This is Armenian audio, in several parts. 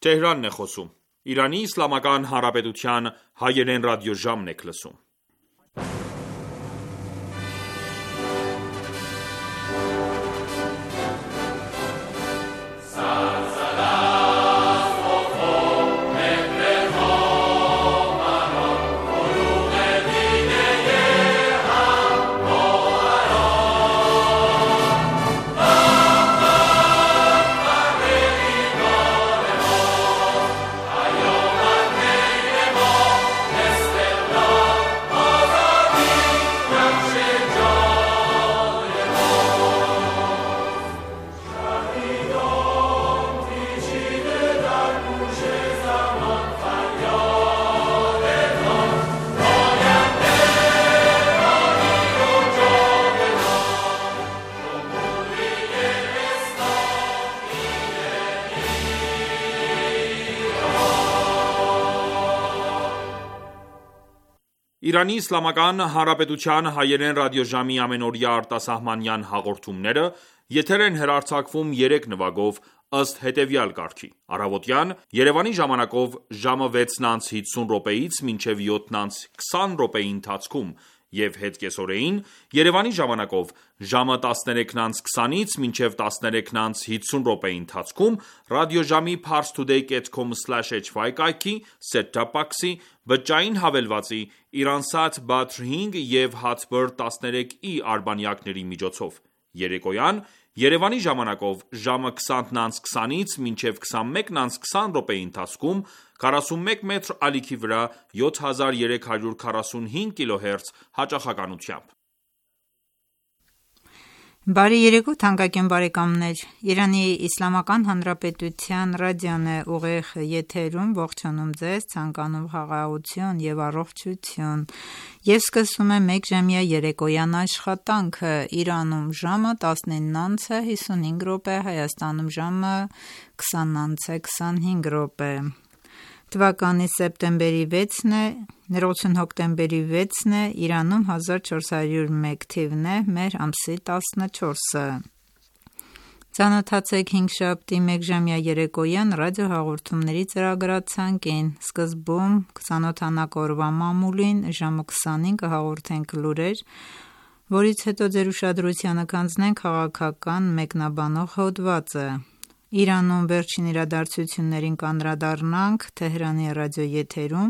Թեհրանն է խոսում։ Իրանի Իսլամական Հանրապետության հայերեն ռադիոժամն եք լսում։ Իրանի Իսլամական Հանրապետության հայերեն ռադիոժամի ամենօրյա արտասահմանյան հաղորդումները եթեր են հեռարձակվում 3 նվագով ըստ հետևյալ կարգի. Առավոտյան Երևանի ժամանակով ժամը 6:50-ից մինչև 7:20 ընթացքում և հետկեսօրեին Երևանի ժամանակով ժամը 13:20-ից մինչև 13:50 ընթացքում ռադիոժամի parstoday.com/hy կայքի, set-top box-ի, բջջային հավելվածի, Iransat Badr 5 և Hotbird 13i արբանյակների միջոցով: Երեկոյան Երևանի ժամանակով ժամը 20:20-ից մինչև 21:20 ընթացքում 41 մետր ալիքի վրա 7345 կՀz հաճախականությամբ: Բարի երեկո թանկագին բարեկամներ: Իրանի Իսլամական Հանրապետության ռադիոն է ուղիղ եթերում ողջունում ձեզ, ցանկանում խաղաղություն և առողջություն և սկսում է մեկժամյա երեկոյան աշխատանքը: Իրանում ժամը 19:55, Հայաստանում ժամը 20:25 թվականի սեպտեմբերի 6-ն է, Իրանում 1401 թիվն է, մեր ամսի 14-ը: Ծանոթացեք հինգշաբթի մեկժամյա երեկոյան ռադիոհաղորդումների ծրագրացանկին: Սկզբում կծանոթանաք օրվա մամուլին, ժամը 20-ին կհաղորդենք լուրեր, որից հետո ձեր ուշադրությանը կհանձնենք քաղաքական մեկնաբանող հոդվածը: Իրանում վերջին իրադարձություններին կանդրադառնանք Թեհրանի ռադիոեթերում,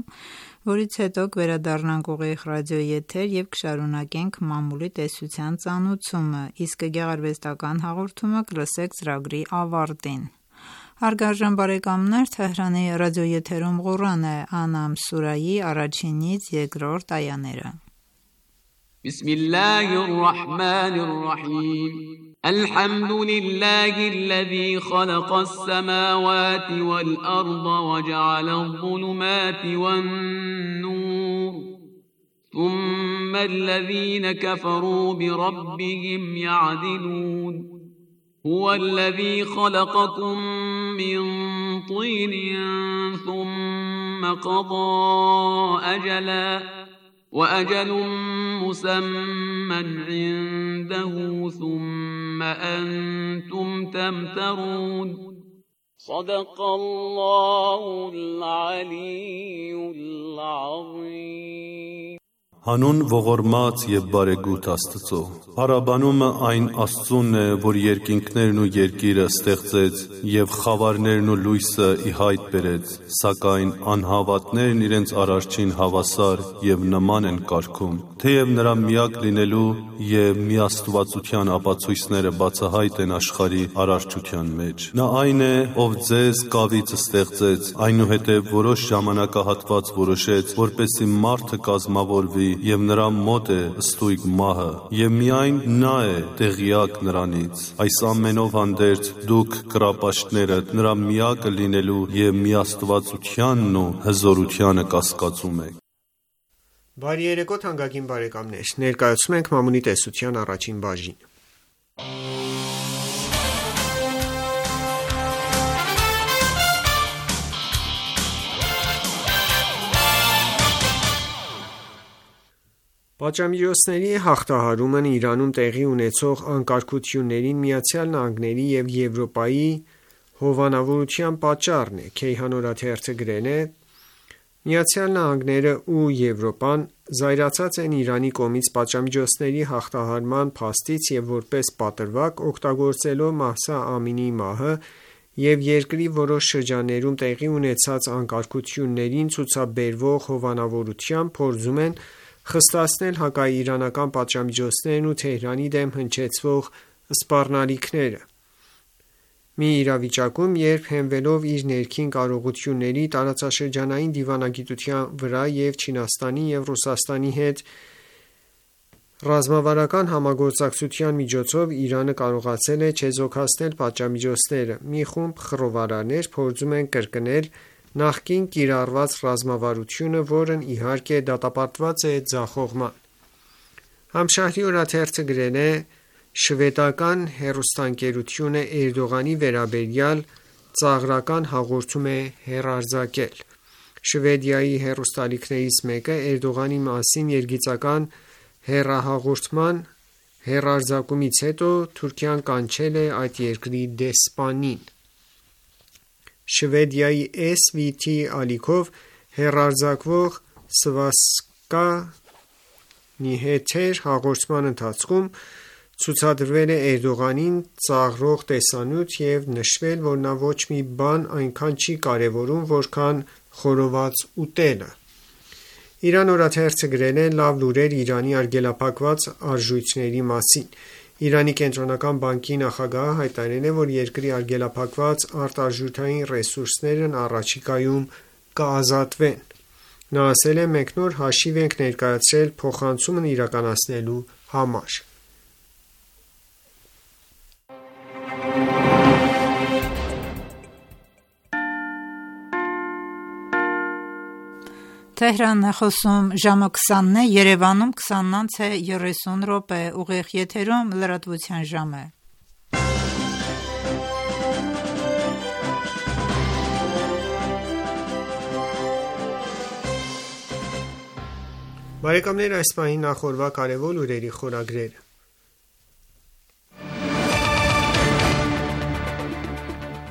որից հետո կվերադառնանք ուղիղ ռադիոեթեր և կշարունակենք մամուլի տեսության ծանուցումը, իսկ գեղարվեստական հաղորդումը կլսեք ծրագրի ավարտին: Հարգարժան բարեկամներ, Թեհրանի ռադիոեթերում Ղուրան է, Անամ սուրահի 1-ից 2-րդ այաները: Բիսմիլլահ ըր-ռահման ըր-ռահիմ الحمد لله الذي خلق السماوات والأرض وجعل الظلمات والنور ثم الذين كفروا بربهم يعدلون هو الذي خلقكم من طين ثم قضى أجلا وأجل مسمى عنده ثم أنتم تمترون صدق الله العلي العظيم Հանուն ողորմած և բարեգութ Աստծո: Փառաբանումը այն Աստծուն է, որ երկինքներն ու երկիրը ստեղծեց և խավարներն ու լույսը ի հայտ բերեց, սակայն անհավատներն իրենց Արարչին հավասար և նման են կարգում: Թեև նրա միակ լինելու և միաստվածության ապացույցները բացահայտ են աշխարհի արարչության մեջ: Նա այն է, ով ձեզ կավից ստեղծեց, այնուհետև որոշ ժամանակահատված որոշեց, որպեսզի մարդը կազմավորվի և նրա մոտ է ստույգ մահը, և միայն նա է տեղյակ նրանից: Այս ամենով հանդերձ դուք կռապաշտներդ նրա միակը լինելու և միաստվածությանն ու հզորությանը կասկածում եք: Բարի երեկո թանկագին բարեկամներ: Ներկայացնում ենք մամուլի տեսության առաջին բաժինը: Պատժամիջոցների հաղթահարումն Իրանում տեղի ունեցող անկարգություններին ԱՄՆ-ի և Եվրոպայի հովանավորության պատճառն է։ Քեյհան օրաթերթը գրել է. ԱՄՆ-ն ու Եվրոպան զայրացած են Իրանի կողմից պատժամիջոցների հաղթահարման փաստից և որպես պատրվակ, օգտագործելով Մահսա Ամինիի մահը և երկրի որոշ շրջաններում տեղի ունեցած անկարգություններին ցուցաբերվող հովանավորությամբ, փորձում են խստացնել հակաիրանական պատժամիջոցներն ու Թեհրանի դեմ հնչեցվող սպառնալիքները։ Մի իրավիճակում, երբ հենվելով իր ներքին կարողությունների, տարածաշրջանային դիվանագիտության վրա և Չինաստանի և Ռուսաստանի հետ ռազմավարական համագործակցության միջոցով, Իրանը կարողացել է չեզոքացնել պատժամիջոցները։ Մի խումբ խռովարարներ փորձում են կրկնել նախկին կիրառված ռազմավարությունը, որն իհարկե դատապարտված է ձախողման։ Համշահրի օրաթերթը գրել է. շվեդական հեռուստաընկերությունը Էրդողանի վերաբերյալ ծաղրական հաղորդում է հեռարձակել։ Շվեդիայի հեռուստաալիքներից մեկը Էրդողանի մասին երգիծական հեռահաղորդման հեռարձակումից հետո Թուրքիան կանչել է այդ երկրի դեսպանին։ Շվեդիայի SVT ալիքով հեռարձակվող Svenska Nyheter հաղորդման ընթացքում ցուցադրվել է Էրդողանին ծաղրող տեսանյութ և նշվել, որ նա ոչ մի բան այնքան չի կարևորում, որքան խորոված ուտելը։ Իրան օրաթերթը գրել է. լավ լուրեր Իրանի արգելափակված արժույթների մասին։ Իրանի կենտրոնական բանկի նախագահը հայտարարել է, որ երկրի արգելափակված արտարժութային ռեսուրսներն առաջիկայում կազատվեն։ Նա ասել է. մենք նոր հաշիվ ենք ներկայացրել փոխանցումն իրականացնելու համար։ Թեհրանն է խոսում, ժամը 20-ն է, Երևանում 20:30 ուղիղ եթերում լրատվության ժամ է։ Բարեկամներ, այս պահին նախորդ կարևոր լուրերի խորագրերը։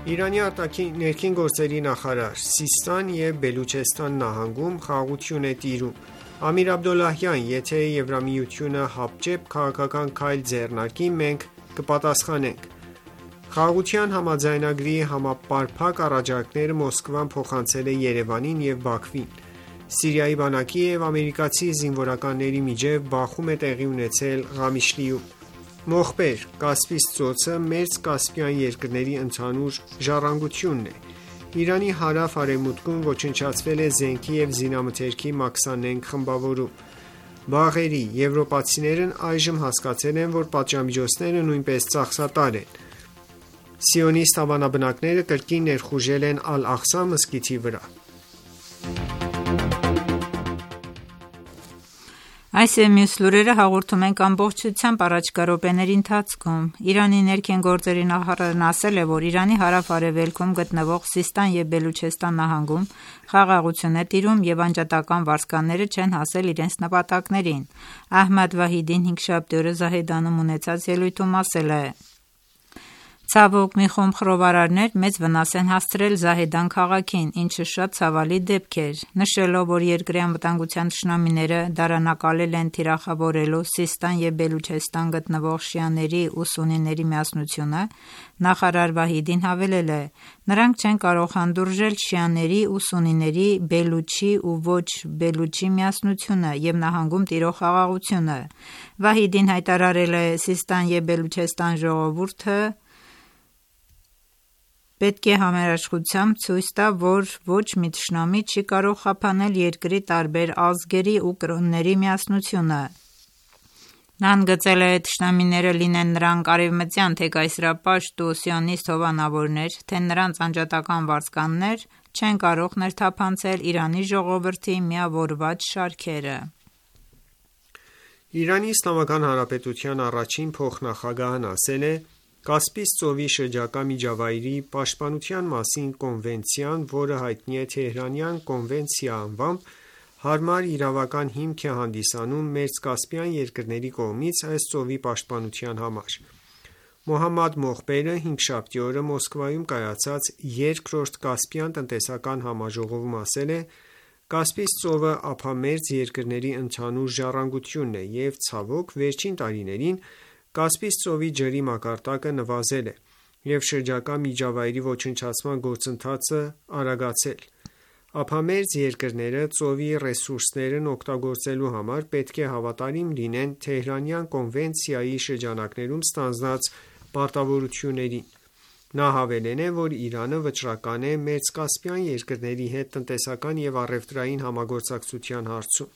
Իրանի ներքին գործերի նախարար. Սիստան և Բելուչեստան նահանգում խաղաղություն է տիրում։ Ամիր Աբդոլլահյան. Եթե Եվրամիությունը հապճեպ քաղաքական քայլ ձեռնարկի, մենք կպատասխանենք։ Խաղաղության համաձայնագրի համապարփակ առաջարկները Մոսկվան փոխանցել է Երևանին և Բաքվին։ Սիրիայի բանակի և ամերիկացի զինվորականների միջև բախում է տեղի ունեցել Ղամիշլիում։ Մոխբեր. Կասպից ծոցը մերձ կասպյան երկրների ընդհանուր ժառանգությունն է։ Իրանի հարավ-արևմուտքում ոչնչացվել է զենքի և զինամթերքի Մաքսանենգ խմբավորում։ Բաղերի. Եվրոպացիներն այժմ հասկացել են, որ պատժամիջոցները նույնպես ծախսատար են։ Սիոնիստ հավանաբնակները կրկին ներխուժել են Ալ-Աղսա մզկիթի վրա։ Այս և մյուս լուրերը հաղորդում ենք ամբողջությամբ առաջիկա րոպեների ընթացքում։ Իրանի ներքին գործերի նախարարն ասել է, որ Իրանի հարավ-արևելքում գտնվող Սիստան և Բելուչեստան նահանգում խաղաղություն է տիրում և անջատական վարձկանները չեն հասել իրենց նպատակներին։ Ահմադ Վահիդին հինգշաբթի օրը Զահեդանում ունեցած ելույթում ասել է. Ցավոք, մի խումբ խռովարարներ մեծ վնաս են հասցրել Զահեդան քաղաքին, ինչը շատ ցավալի դեպք էր, նշելով, որ երկրի անվտանգության թշնամիները դարանակալել են թիրախավորելու Սիստան և Բելուչեստան գտնվող շիաների ու սուննիների միասնությունը, նախարար Վահիդին հավելել է. նրանք չեն կարող հանդուրժել շիաների ու սուննիների, բելուչի ու ոչ բելուչի միասնությունը և նահանգում տիրող խաղաղությունը։ Վահիդին հայտարարել է. Սիստան և Բելուչեստան ժողովուրդը պետք է համերաշխությամբ ցույց տա, որ ոչ մի թշնամի չի կարող խափանել երկրի տարբեր ազգերի ու կրոնների միասնությունը։ Նա ընդգծել է. թշնամիները, լինեն նրանք արևմտյան թե կայսերապաշտ ու սիոնիստ հովանավորներ, թե նրանց անջատական վարձկաններ, չեն կարող ներթափանցել Իրանի ժողովրդի միավորված շարքերը։ Իրանի Իսլամական Հանրապետության առաջին փոխնախագահն ասել է. Կասպից ծովի շրջակա միջավայրի պաշտպանության մասին կոնվենցիան, որը հայտնի է Թեհրանյան կոնվենցիա անվամբ, հարմար իրավական հիմք է հանդիսանում մերձկասպյան երկրների կողմից այս ծովի պաշտպանության համար։ Մոհամմադ Մոխբերը հինգշաբթի օրը Մոսկվայում կայացած երկրորդ Կասպյան տնտեսական համաժողովում ասել է. «Կասպից ծովը ափամերձ երկրների ընդհանուր ժառանգությունն է և, ցավոք, վերջին տարիներին Կասպից ծովի ջրի մակարդակը նվազել է, և շրջակա միջավայրի ոչնչացման գործընթացը արագացել: Ափամերձ երկրները ծովի ռեսուրսներն օգտագործելու համար պետք է հավատարիմ լինեն Թեհրանյան կոնվենցիայի շրջանակներում ստանձնած պարտավորություններին»: Նա հավելել է, որ Իրանը վճռական է Մերձկասպյան երկրների հետ տնտեսական և առևտրային համագործակցության հարցում: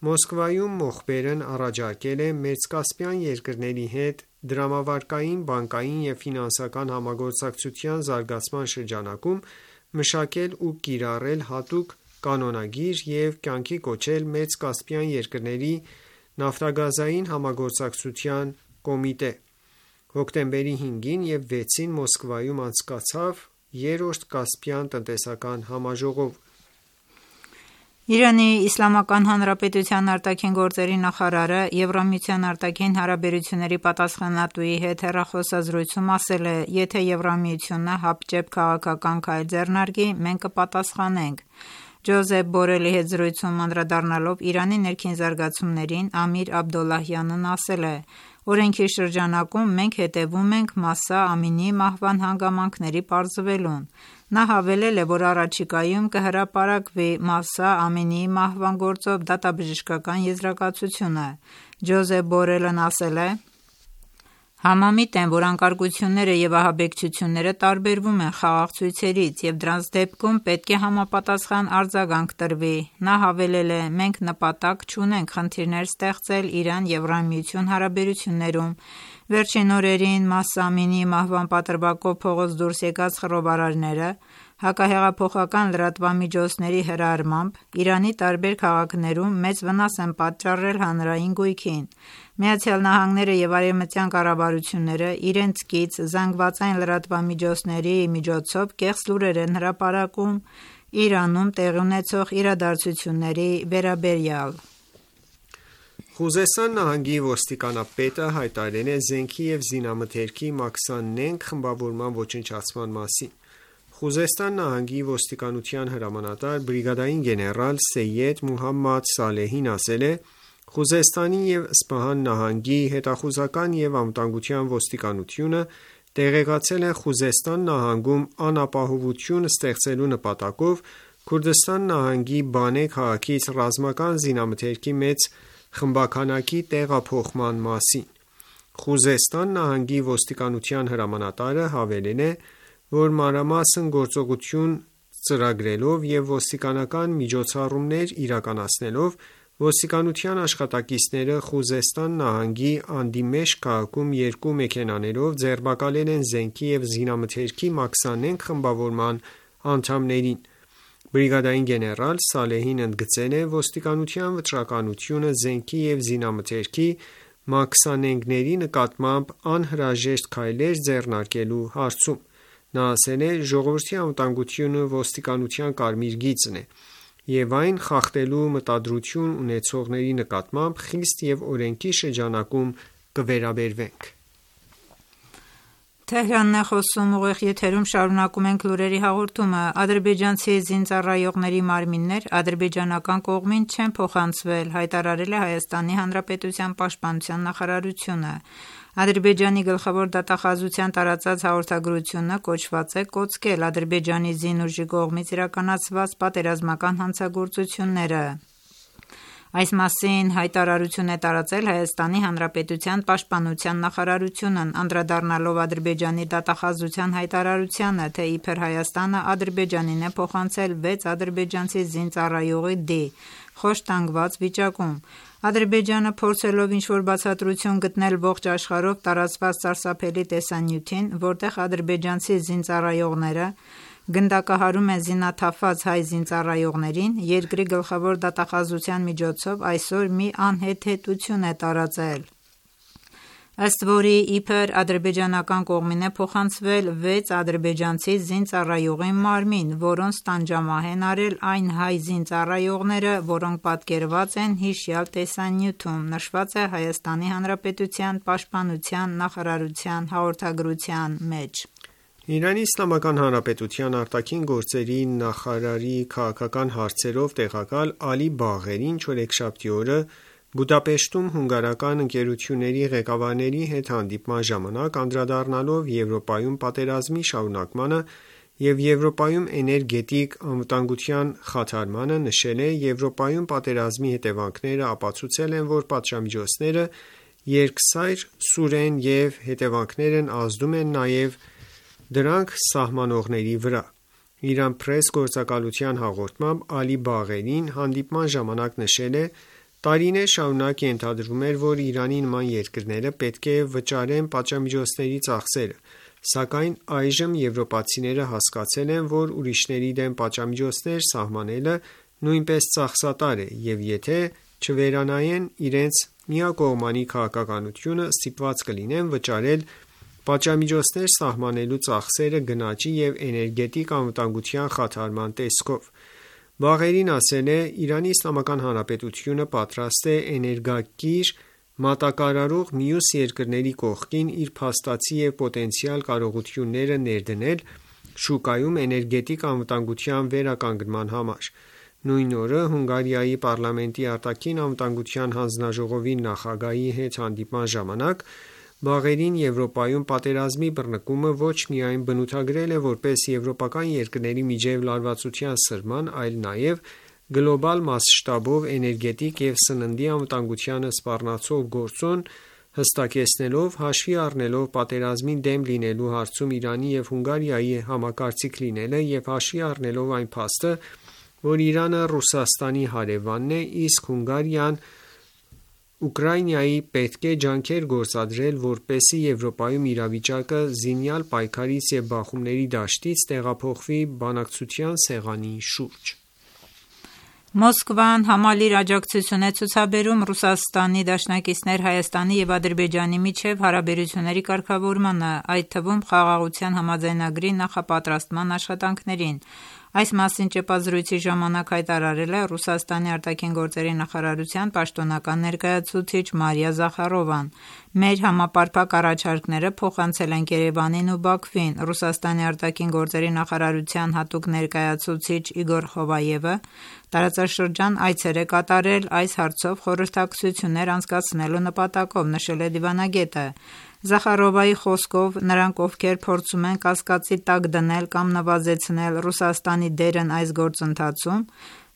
Մոսկվայում Մոխբերն առաջարկել է Մերձկասպյան երկրների հետ դրամավարկային, բանկային և ֆինանսական համագործակցության զարգացման շրջանակում մշակել ու կիրառել հատուկ կանոնագիր և կյանքի կոչել Մեծկասպյան երկրների նավթագազային համագործակցության կոմիտե: Հոկտեմբերի 5-ին և 6-ին Մոսկվայում անցկացավ երրորդ Կասպյան տնտեսական համաժողովը: Իրանի Իսլամական Հանրապետության արտաքին գործերի նախարարը Եվրամիության արտաքին հարաբերությունների պատասխանատուի հետ հեռախոսազրույցում ասել է. «Եթե Եվրամիությունը հապճեպ քաղաքական քայլ ձեռնարկի, մենք կպատասխանենք»: Ջոզեփ Բորելի հետ զրույցում անդրադառնալով Իրանի ներքին զարգացումներին, Ամիր Աբդոլլահյանն ասել է. «Օրենքի շրջանակում մենք հետևում ենք Մահսա Ամինիի մահվան հանգամանքների պարզվելուն»: Նա հավելել է, որ առաջիկայում կհրապարակվի Մահսա Ամինիի մահվան գործով դատաբժշկական եզրակացությունը: Ջոզեփ Բորելն ասել է. «Համամիտ եմ, որ անկարգությունները և ահաբեկչությունները տարբերվում են խաղաղ ցույցերից և դրանց դեպքում պետք է համապատասխան արձագանք տրվի»: Նա հավելել է. «Մենք նպատակ չունենք խնդիրներ ստեղծել Իրան-Եվրամիություն հարաբերություններում: Վերջին օրերին Մահսա Ամինիի մահվան պատրվակով փողոց դուրս եկած խռովարարները հակահեղափոխական լրատվամիջոցների հրահրմամբ Իրանի տարբեր քաղաքներում մեծ վնաս են պատճառել հանրային գույքին: ԱՄՆ-ը և արևմտյան կառավարությունները իրենց կից ԶԼՄ-ների միջոցով կեղծ լուրեր են հրապարակում Իրանում տեղի ունեցող իրադարձությունների վերաբերյալ: Խուզեստան նահանգի ոստիկանապետը հայտարարել է զենքի և զինամթերքի Մաքսանենգ խմբավորման ոչնչացման մասին: Խուզեստան նահանգի ոստիկանության հրամանատար բրիգադային գեներալ Սեյեդ Մոհամմադ Սալեհին ասել է. «Խուզեստանի և Սպահան նահանգի հետախուզական և անվտանգության ոստիկանությունը տեղեկացել է Խուզեստան նահանգում անապահովություն ստեղծելու նպատակով Քուրդստան նահանգի Բանե քաղաքից ռազմական զինամթերքի մեծ խմբաքանակի տեղափոխման մասին»: Խուզեստան նահանգի ոստիկանության հրամանատարը հավելել է, որ մանրամասն գործողություն ծրագրելով և ոստիկանական միջոցառումներ իրականացնելով ոստիկանության աշխատակիցները Խուզեստան նահանգի Անդիմեշք քաղաքում երկու մեքենաներով ձերբակալել են զենքի և զինամթերքի Մաքսանենգ խմբավորման անդամներին: Բրիգադային գեներալ Սալեհին ընդգծել է ոստիկանության վճռականությունը զենքի և զինամթերքի Մաքսանենգների նկատմամբ անհրաժեշտ քայլեր ձեռնարկելու հարցում: Նա ասել է. «Ժողովրդի անվտանգությունը ոստիկանության կարմիր գիծն է և այն խախտելու մտադրություն ունեցողների նկատմամբ խիստ և օրենքի շրջանակում կվերաբերվենք»: Ադրբեջանցի զինծառայողների մարմիններ ադրբեջանական կողմին չեն փոխանցվել, հայտարարել է Հայաստանի Հանրապետության պաշտպանության նախարարությունը: Ադրբեջանի գլխավոր դատախազության տարածած հաղորդագրությունը կոչված է կոծկել Ադրբեջանի զինուժի կողմից իրականացված պատերազմական հանցագործությունները: Այս մասին հայտարարություն է տարածել Հայաստանի Հանրապետության պաշտպանության նախարարությունն անդրադառնալով Ադրբեջանի դատախազության հայտարարությանը, թե իբր Հայաստանը Ադրբեջանին է փոխանցել 6 ադրբեջանցի զինծառայողի դի՝ խոշտանգված վիճակում: Ադրբեջանը փորձելով ինչ-որ բացատրություն գտնել ողջ աշխարհով տարածված սարսափելի տեսանյութին, որտեղ ադրբեջանցի զինծառայողները գնդակահարում են զինաթափված հայ զինծառայողներին, երկրի գլխավոր դատախազության միջոցով այսօր մի անհեթեթություն է տարածել: ըստ որի իբր ադրբեջանական կողմին է փոխանցվել 6 ադրբեջանցի զինծառայողի մարմին, որոնց տանջամահ են արել այն հայ զինծառայողները, որոնք պատկերված են հիշյալ տեսանյութում, նշված է Հայաստանի Հանրապետության Պաշտպանության նախարարության հաղորդագրության մեջ։ Իրանի Իսլամական Հանրապետության արտաքին գործերի նախարարի քաղաքական հարցերով տեղակալ Ալի Բաղերին չորեքշաբթի օրը Բուդապեշտում հունգարական ընկերությունների ղեկավարների հետ հանդիպման ժամանակ անդրադառնալով Եվրոպայում պատերազմի շարունակմանը և Եվրոպայում էներգետիկ անվտանգության խաթարմանը նշել է. Եվրոպայում պատերազմի հետևանքները ապացուցել են, որ պատժամիջոցները երկսայր սուր են և հետևանքներն ազդում են նաև դրանք սահմանողների վրա։ Iran Press գործակալության հաղորդմամբ Ալի Բաղերին հանդիպման ժամանակ նշել է. Տարիներ շարունակ ենթադրվում էր, որ Իրանի նման երկրները պետք է վճարեն պատժամիջոցների ծախսերը, սակայն այժմ եվրոպացիները հասկացել են, որ ուրիշների դեմ պատժամիջոցներ սահմանելը նույնպես ծախսատար է, և եթե չվերանայեն իրենց միակողմանի քաղաքականությունը, ստիպված կլինեն վճարել պատժամիջոցներ սահմանելու ծախսերը գնաճի և էներգետիկ անվտանգության խաթարման տեսքով։ Բաղերին ասել է. Իրանի Իսլամական Հանրապետությունը պատրաստ է էներգակիր մատակարարող մյուս երկրների կողքին իր փաստացի և պոտենցիալ կարողությունները ներդնել շուկայում էներգետիկ անվտանգության վերականգնման համար։ Նույն օրը Հունգարիայի պարլամենտի արտաքին անվտանգության հանձնաժողովի նախագահի հետ հանդիպման ժամանակ Բաղերին Եվրոպայում պատերազմի բռնկումը ոչ միայն բնութագրել է որպես եվրոպական երկրների միջև լարվածության սրման, այլ նաև գլոբալ մասշտաբով էներգետիկ և սննդի անվտանգությանը սպառնացող գործոն, հստակեցնելով, հաշվի առնելով պատերազմի դեմ լինելու հարցում Իրանի և Հունգարիայի համակարծիք լինելը և հաշվի առնելով այն փաստը, որ Իրանը Ռուսաստանի հարևանն է, իսկ Հունգարիան Ուկրաինայի պետք է ջանքեր գործադրել, որպեսզի Եվրոպայում իրավիճակը զինյալ պայքարից և բախումների դաշտից տեղափոխվի բանակցության սեղանի շուրջ։ Մոսկվան համալիր աջակցություն է ցուցաբերում Ռուսաստանի դաշնակիցներ Հայաստանի և Ադրբեջանի միջև հարաբերությունների կարգավորմանը, այդ թվում Խաղաղության համաձայնագրի նախապատրաստման աշխատանքներին։ Այս մասին ճեպազրույցի ժամանակ հայտարարել է Ռուսաստանի արտաքին գործերի նախարարության պաշտոնական ներկայացուցիչ Մարիա Զախարովան։ Մեր համապարփակ առաջարկները փոխանցել ենք Երևանին ու Բաքվին։ Ռուսաստանի արտաքին գործերի նախարարության հատուկ ներկայացուցիչ Իգոր Խովայևը տարածաշրջան այցեր է կատարել այս հարցով խորհրդակցություններ անցկացնելու նպատակով, նշել է դիվանագետը։ Զախարովայի խոսքով, նրանք, ովքեր փորձում են կասկածի տակ դնել կամ նվազեցնել Ռուսաստանի դերն այս գործընթացում,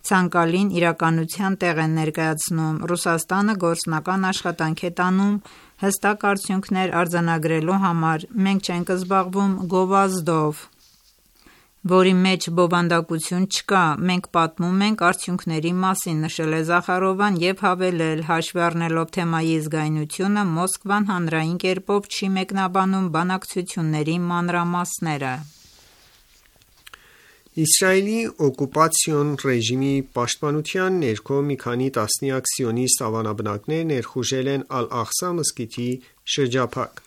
ցանկալին իրականության տեղ են ներկայացնում։ Ռուսաստանը գործնական աշխատանք է տանում հստակ արդյունքներ արձանագրելու համար։ Մենք չենք զբաղվում գովազդով, որի մեջ բովանդակություն չկա, մենք պատմում ենք արդյունքների մասին, նշել է Զախարովան և հավելել. հաշվի առնելով թեմայի զգայունությունը, Մոսկվան հանրային կերպով չի մեկնաբանում բանակցությունների մանրամասները։ Իսրայելի օկուպացիոն ռեժիմի պաշտպանության ներքո մի քանի տասնյակ սիոնիստ ավանաբնակներ ներխուժել են Ալ-Աղսա մզկիթի շրջափակ։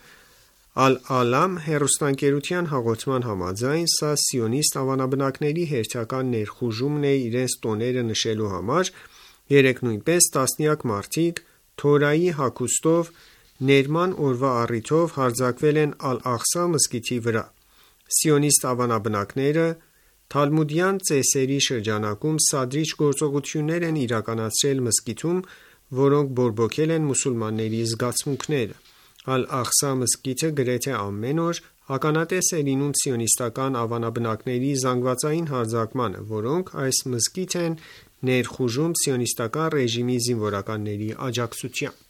Ալ-Ալամ հեռուստաընկերության հաղորդման համաձայն, սա սիոնիստ ավանաբնակների հերթական ներխուժումն է իրենց տոները նշելու համար։ Երեկ նույնպես տասնյակ մարդիկ Թորայի հագուստով ներման օրվա առիթով հարձակվել են Ալ-Աղսա մզկիթի վրա։ Սիոնիստ ավանաբնակները թալմուդյան ծեսերի շրջանակում սադրիչ գործողություններ են իրականացրել մզկիթում, որոնք բորբոքել են մուսուլմանների զգացմունքները։ Ալ-Աղսա մզկիթը գրեթե ամեն օր ականատես է լինում սիոնիստական ավանաբնակների զանգվածային հարձակմանը, որոնք այս մզկիթ են ներխուժում սիոնիստական ռեժիմի զինվորականների աջակցությամբ։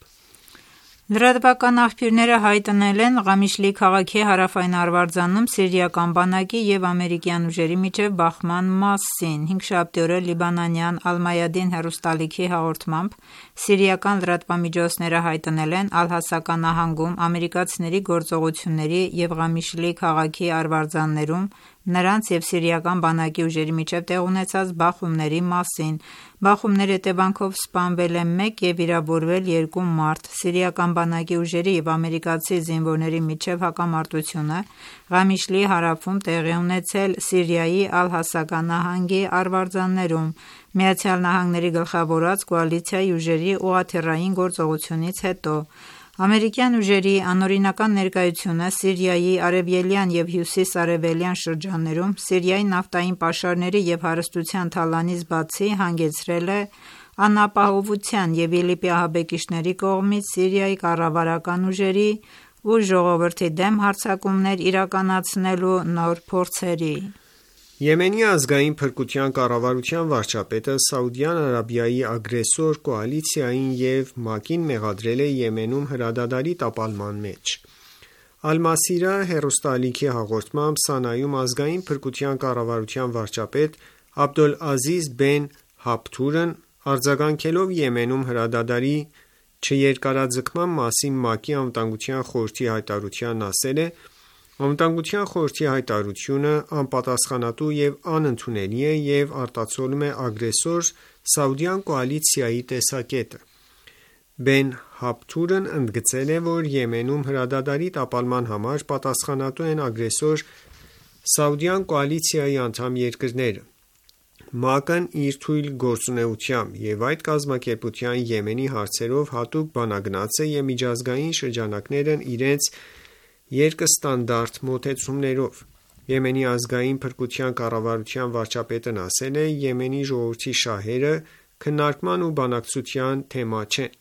Լրատվական աղբյուրները հայտնել են Ղամիշլի քաղաքի հարավային արվարձանում սիրիական բանակի և ամերիկյան ուժերի միջև բախման մասին։ Հինգշաբթի օրը լիբանանյան Ալ-Մայադին հեռուստալիքի հաղորդմամբ Սիրիական լրատվամիջոցները հայտնել են Ալ-Հասակա նահանգում ամերիկացիների գործողությունների և Ղամիշլի քաղաքի արվարձաններում նրանց և սիրիական բանակի ուժերի միջև տեղ ունեցած բախումների մասին։ Բախումների հետևանքով սպանվել է 1 և վիրավորվել 2 մարդ։ Սիրիական բանակի ուժերի և ամերիկացի զինվորների միջև հակամարտությունը Ղամիշլի հարավում տեղի է ունեցել Սիրիայի Ալ-Հասակա նահանգի արվարձաններում ԱՄՆ-ի գլխավորած կոալիցիայի ուժերի ուղղաթիռային գործողությունից հետո։ Ամերիկյան ուժերի անօրինական ներկայությունը Սիրիայի արևելյան և հյուսիս-արևելյան շրջաններում Սիրիայի նավթային պաշարների և հարստության թալանից բացի հանգեցրել է անապահովության և ԻԼԻՊ-ի ահաբեկիչների կողմից Սիրիայի կառավարական ուժերի ու ժողովրդի դեմ հարձակումներ իրականացնելու նոր փորձերի։ Եմենի ազգային փրկության կառավարության վարչապետը Սաուդյան Արաբիայի ագրեսոր կոալիցիային և ՄԱԿ-ին մեղադրել է Եմենում հրադադարի տապալման մեջ։ Ալ-Մասիրա հեռուստաալիքի հաղորդմամբ Սանայում ազգային փրկության կառավարության վարչապետ Աբդոլազիզ Բեն Հաբթուրն արձագանքելով Եմենում հրադադարի չերկարաձգման մասին ՄԱԿ-ի Անվտանգության խորհրդի հայտարարությանն ասել է. «Անվտանգության խորհրդի հայտարարությունը անպատասխանատու և անընդունելի է և արտացոլում է ագրեսոր սաուդյան կոալիցիայի տեսակետը»։ Բեն Հաբթուրն ընդգծել է, որ Եմենում հրադադարի տապալման համար պատասխանատու են ագրեսոր սաուդյան կոալիցիայի անդամ երկրները։ ՄԱԿ-ն իր թույլ գործունեությամբ և այդ կազմակերպության Եմենի հարցերով հատուկ բանագնաց է և միջազգային շրջանակներն իրենց երկստանդարտ մոտեցումներով։ Եմենի ազգային փրկության կառավարության վարչապետն ասել է. «Եմենի ժողովրդի շահերը քննարկման ու բանակցության թեմա չեն։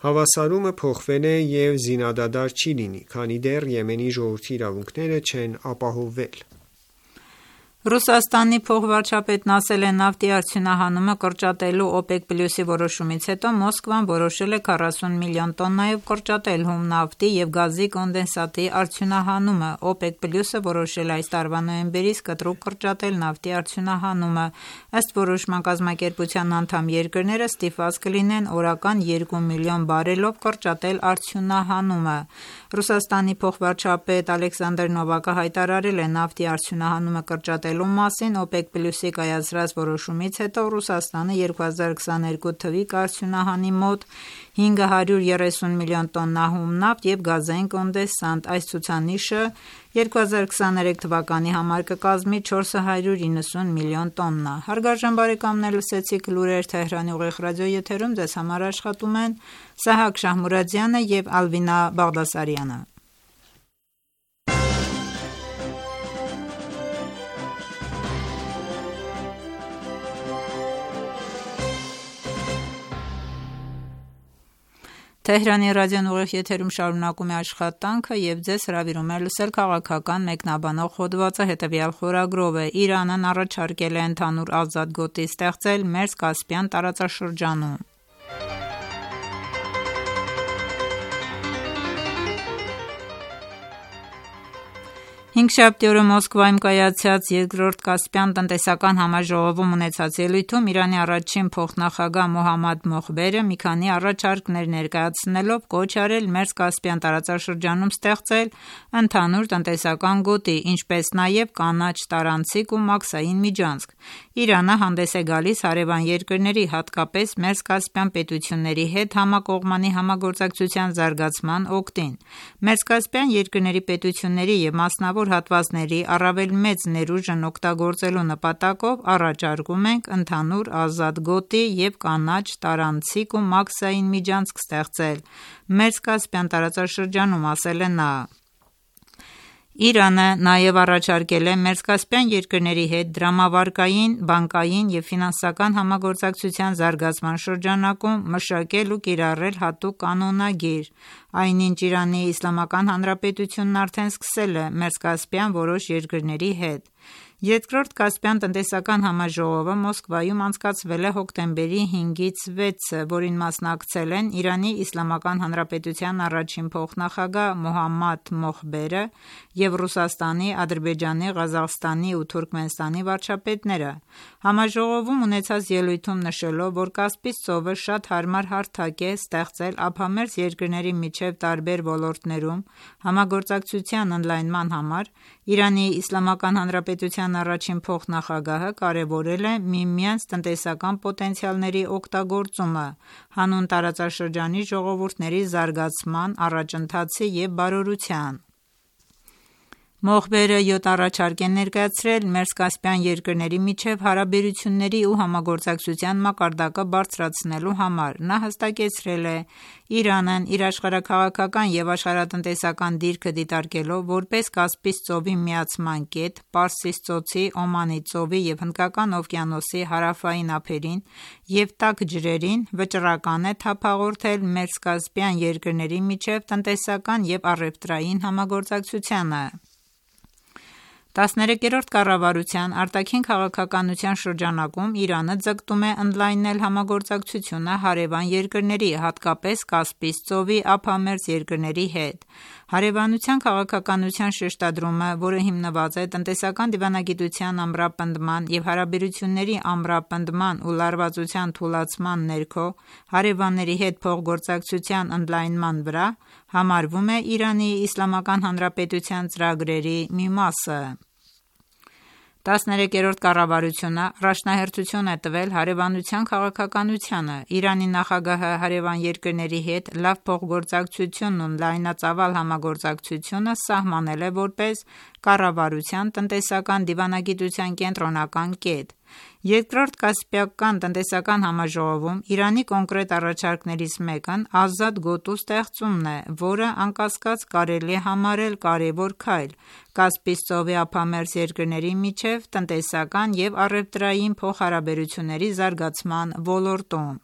Հավասարումը փոխվել է և զինադադար չի լինի, քանի դեռ Եմենի ժողովրդի իրավունքները չեն ապահովվել»։ Ռուսաստանի փոխվարչապետն ասել է. «Նավթի արդյունահանումը կրճատելու OPEC+-ի որոշումից հետո Մոսկվան որոշել է 40 միլիոն տոննայով կրճատել հում նավթի և գազի կոնդենսատի արդյունահանումը։ OPEC+-ը որոշել է այս տարվա նոյեմբերից կտրուկ կրճատել նավթի արդյունահանումը։ Ըստ որոշման կազմակերպության անդամ երկրները ստիպված կլինեն օրական 2 միլիոն բարելով կրճատել արդյունահանումը»։ Ռուսաստանի փոխվարչապետ Ալեքսանդր Նովակը հայտարարել է նավթի արդյունահանումը կրճատելու մասին OPEC+-ի կայացրած որոշումից հետո Ռուսաստանը 2022 թվականին կարդյունահանի մոտ 530 միլիոն տոննա հում նավթ և գազային կոնդենսատ։ Այս ցուցանիշը 2023 թվականի համար կկազմի 490 միլիոն տոննա։ Հարգարժան բարեկամներ, լսեցիք լուրեր Թեհրանի ուղիղ ռադիոեթերում, ձեզ համար աշխատում են Սահակ Շահմուրադյանը և Ալվինա Բաղդասարյանը։ Թեհրանի ռադիոն ուղիղ եթերում շարունակում է աշխատանքը և ձեզ հրավիրում է լսել քաղաքական մեկնաբանող հոդվածը հետևյալ խորագրով է. Իրանն առաջարկել է ընդհանուր ազատ գոտի ստեղծել Մերձկասպյան տարածաշրջանում։ Հինգշաբթի օրը Մոսկվայում կայացած երկրորդ Կասպյան տնտեսական համաժողովում ունեցած ելույթում Իրանի առաջին փոխնախագահ Մոհամմադ Մոխբերը մի քանի առաջարկներ ներկայացնելով կոչ արել Մերձկասպյան տարածաշրջանում ստեղծել ընդհանուր տնտեսական գոտի, ինչպես նաև կանաչ տարանցիկ ու մաքսային միջանցք։ Իրանը հանդես է գալիս հարևան երկրների, հատկապես Մերձկասպյան պետությունների հետ համակողմանի համագործակցության զարգացման օգտին։ Մերձկասպյան երկրների պետությունների և մասնավոր հատվածների առավել մեծ ներուժն օգտագործելու նպատակով առաջարկում ենք ընդհանուր ազատ գոտի և կանաչ տարանցիկ ու մաքսային միջանցք ստեղծել Մերձկասպյան տարածաշրջանում, ասել է նա։ Իրանը նաև առաջարկել է Մերձկասպյան երկրների հետ դրամավարկային, բանկային և ֆինանսական համագործակցության զարգացման շրջանակում մշակել ու կիրառել հատուկ կանոնագիր, այնինչ Իրանի Իսլամական Հանրապետությունն արդեն սկսել է Մերձկասպյան որոշ երկրների հետ։ Երկրորդ Կասպյան տնտեսական համաժողովը Մոսկվայում անցկացվել է հոկտեմբերի 5-ից 6-ը, որին մասնակցել են Իրանի Իսլամական Հանրապետության առաջին փոխնախագահ Մոհամմադ Մոխբերը և Ռուսաստանի, Ադրբեջանի, Ղազախստանի ու Թուրքմենստանի վարչապետները։ Համաժողովում ունեցած ելույթում նշելով, որ Կասպից ծովը շատ հարմար հարթակ է ստեղծել ափամերձ երկրների միջև տարբեր ոլորտներում համագործակցության ընդլայնման համար, Իրանի Իսլամական Հանրապետության առաջին փոխնախագահը կարևորել է միմյանց տնտեսական պոտենցիալների օգտագործումը հանուն տարածաշրջանի ժողովուրդների զարգացման, առաջընթացի և բարօրության։ Մոխբերը 7 առաջարկ է ներկայացրել մերձկասպյան երկրների միջև հարաբերությունների ու համագործակցության մակարդակը բարձրացնելու համար։ Նա հստակեցրել է Իրանն իր աշխարհաքաղաքական և աշխարհատնտեսական դիրքը դիտարկելով որպես Կասպից ծովի միացման կետ, Պարսից ծոցի, Օմանի ծովի և Հնդկական օվկիանոսի հարավային ափերին և տաք ջրերին, վճռական է թափ հաղորդել մերձկասպյան երկրների միջև տնտեսական և առևտրային համագործակցությանը։ 13-րդ կառավարության արտաքին քաղաքականության շրջանակում Իրանը ձգտում է ընդլայնել համագործակցությունը հարևան երկրների, հատկապես Կասպից ծովի ափամերձ երկրների հետ։ Հարևանության քաղաքականության շեշտադրումը, որը հիմնված է տնտեսական դիվանագիտության ամրապնդման և հարաբերությունների ամրապնդման ու լարվածության թուլացման ներքո հարևանների հետ փոխգործակցության ընդլայնման վրա, համարվում է Իրանի Իսլամական Հանրապետության ծրագրերի մի մասը։ 13-րդ կառավարությունը առաջնահերթություն է տվել հարևանության քաղաքականությանը։ Իրանի նախագահը հարևան երկրների հետ լավ փոխգործակցությունն ու լայնածավալ համագործակցությունը սահմանել է որպես կառավարության տնտեսական դիվանագիտության կենտրոնական կետ։ Երկրորդ Կասպիական տնտեսական համաժողովում Իրանի կոնկրետ առաջարկներից մեկն ազատ գոտու ստեղծումն է, որը անկասկած կարելի է համարել կարևոր քայլ Կասպից ծովի ափամերձ երկրների միջև տնտեսական և առևտրային փոխհարաբերությունների զարգացման ոլորտում։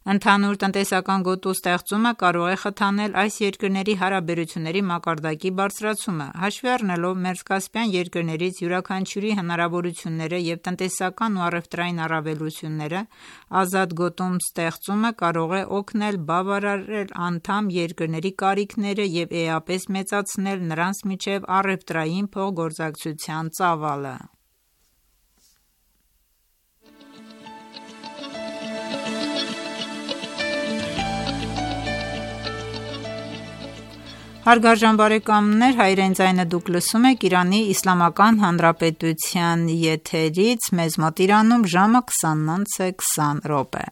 Ընդհանուր տնտեսական գոտու ստեղծումը կարող է խթանել այս երկրների հարաբերությունների մակարդակի բարձրացումը։ Հաշվի առնելով մերձկասպյան երկրներից յուրաքանչյուրի հնարավորությունները և տնտեսական ու առևտրային առավելությունները, ազատ գոտու ստեղծումը կարող է օգնել բավարարել անդամ երկրների կարիքները և էապես մեծացնել նրանց միջև առևտրային փոխգործակցության ծավալը։ Հարգարժան բարեկամներ, հայրեն ձայնը դուք լսում եք Իրանի Իսլամական Հանրապետության եթերից, մեզ մոտ Իրանում ժամը 20:20 է։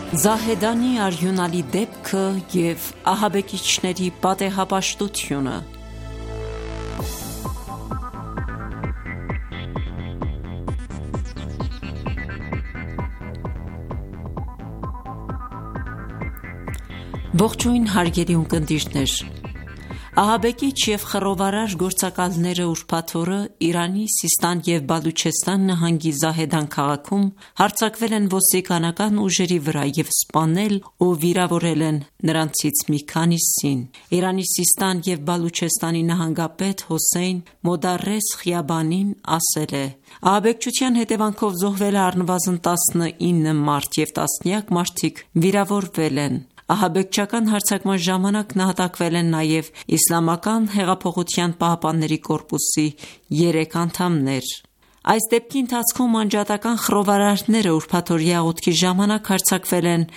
Զահեդանի արյունալի դեպքը և ահաբեկիչների պատեհապաշտությունը։ Ողջույն հարգելի ունկնդիրներ, ահաբեկիչ և խռովարար գործակալները ուրբաթ օրը Իրանի Սիստան և Բալուչեստան նահանգի Զահեդան քաղաքում հարձակվել են ոստիկանական ուժերի վրա և սպանել ու վիրավորել են նրանցից մի քանիսին։ Իրանի Սիստան և Բալուչեստանի նահանգապետ Հոսեյն Մոդարես Խիաբանին ասել է. «Ահաբեկչության հետևանքով զոհվել է առնվազն 19 մարդ և տասնյակ մարդիկ վիրավորվել են։ Ահաբեկչական հարձակման ժամանակ նահատակվել են նաև Իսլամական հեղափոխության պահապանների կորպուսի 3 անդամներ»։ Այս դեպքի ընթացքում անջատական խռովարարները ուրբաթօրյա աղոթքի ժամանակ հարձակվել են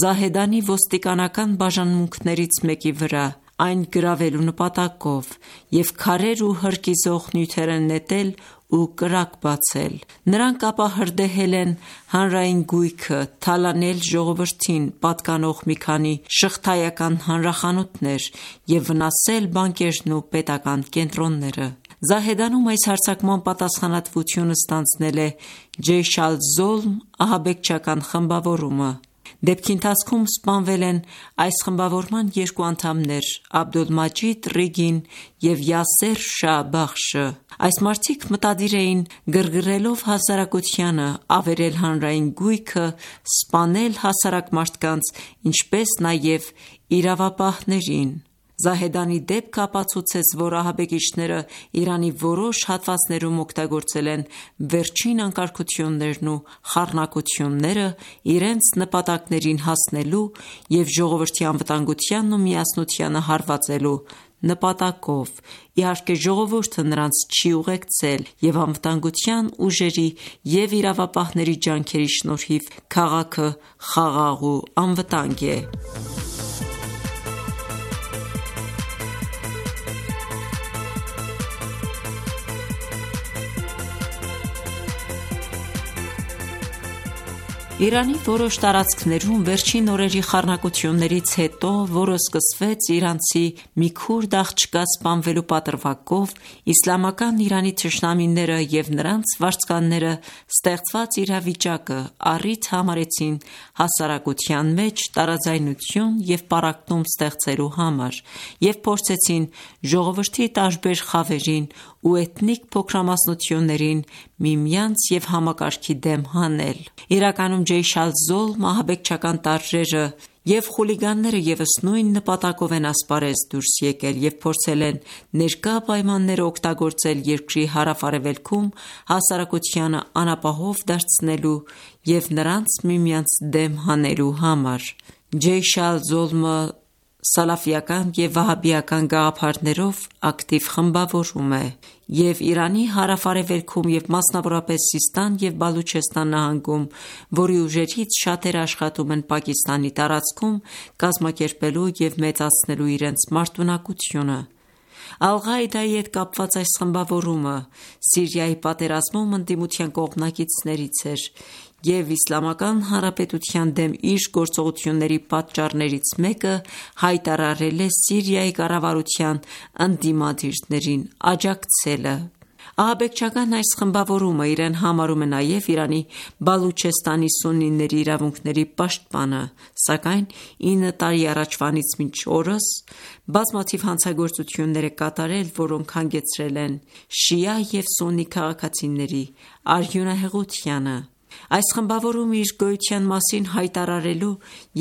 Զահեդանի ոստիկանական բաժանմունքներից մեկի վրա, այն գրավելու նպատակով և քարեր ու հրկիզող նյութեր են նետել ու կրակ բացել։ Նրանք ապա հրդեհել են հանրային գույքը, թալանել ժողովրդին պատկանող մի քանի շղթայական հանրախանութներ և վնասել բանկերն ու պետական կենտրոնները։ Զահեդանում այս հարձակման պատասխանատվությունը ստանձնել է Ջեյշ ալ-Զոլմ ահաբեկչական խմբավորումը։ Դեպքի ընթացքում սպանվել են այս խմբավորման երկու անդամներ՝ Աբդոլմաջիդ Ռիգին և Յասեր Շահ Բախշը։ Այս մարդիկ մտադիր էին գրգռելով հասարակությանը, ավերել հանրային գույքը, սպանել հասարակ մարդկանց, ինչպես նաև իրավապահներին։ Զահեդանի դեպքը ապացուցեց, որ ահաբեկիչները Իրանի որոշ հատվածներում օգտագործել են վերջին անկարգություններն ու խառնակությունները իրենց նպատակներին հասնելու և ժողովրդի անվտանգությանն ու միասնությանը հարվածելու նպատակով։ Իհարկե, ժողովուրդը նրանց չի ուղեկցել, և անվտանգության ուժերի և իրավապահների ջանքերի շնորհիվ քաղաքը խաղաղ ու անվտանգ է։ Իրանի որոշ տարածքներում վերջին օրերի խառնակություններից հետո, որը սկսվեց իրանցի մի քուրդ աղջկա սպանվելու պատրվակով, իսլամական Իրանի թշնամիները և նրանց վարձկանները ստեղծված իրավիճակը առիթ համարեցին հասարակության մեջ տարաձայնություն և պառակտում ստեղծելու համար և փորձեցին ժողովրդի տարբեր խավերին ու էթնիկ փոքրամասնություններին միմյանց և համակարգի դեմ հանել։ Իրականում Ջեյշ ալ-Զոլմ ահաբեկչական տարրերը և խուլիգանները ևս նույն նպատակով են ասպարեզ դուրս եկել և փորձել են ներկա պայմանները օգտագործել երկրի հարավ-արևելքում հասարակությանը անապահով դարձնելու և նրանց միմյանց դեմ հանելու համար։ Ջեյշ ալ-Զոլմը սալաֆիական և վահաբիական գաղափարներով ակտիվ խմբավորում է և Իրանի հարավ-արևելքում և մասնավորապես Սիստան և Բալուչեստան նահանգում, որի ուժերից շատերը աշխատում են Պակիստանի տարածքում կազմակերպելու և մեծացնելու իրենց մարտունակությունը։ Ալ-Ղաիդայի հետ կապված այս խմբավորումը Սիրիայի պատերազմում ընդդիմության կողմնակիցներից էր և Իսլամական Հանրապետության դեմ իր գործողությունների պատճառներից մեկը հայտարարել է Սիրիայի կառավարության ընդդիմադիրներին աջակցելը։ Ահաբեկչական այս խմբավորումը իրեն համարում է նաև Իրանի Բալուչեստանի սուննիների իրավունքների պաշտպանը, սակայն 9 տարի առաջվանից մինչ օրս բազմաթիվ հանցագործություններ է կատարել, որոնք հանգեցրել են շիա և սուննի քաղաքացիների արյունահեղությանը։ Այս խմբավորումը իր գոյության մասին հայտարարելու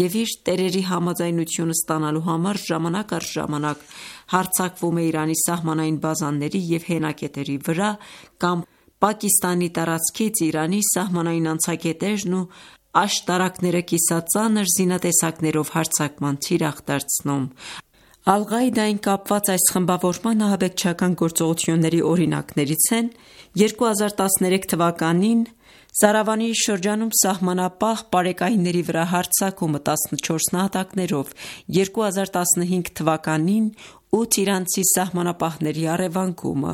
և իր տերերի համաձայնությունը ստանալու համար ժամանակ առ ժամանակ հարձակվում է Իրանի սահմանային բազաների և հենակետերի վրա կամ Պակիստանի տարածքից Իրանի սահմանային անցակետերն ու աշտարակները կիսածանր զինատեսակներով հարձակման թիրախ դարձնում։ Ալ-Ղաիդային կապված այս խմբավորման ահաբեկչական գործողությունների օրինակներից են 2013 թվականին Սարավանի շրջանում սահմանապահ պարեկայինների վրա հարձակումը 14 նահատակներով, 2015 թվականին 8 իրանցի սահմանապահների առևանգումը,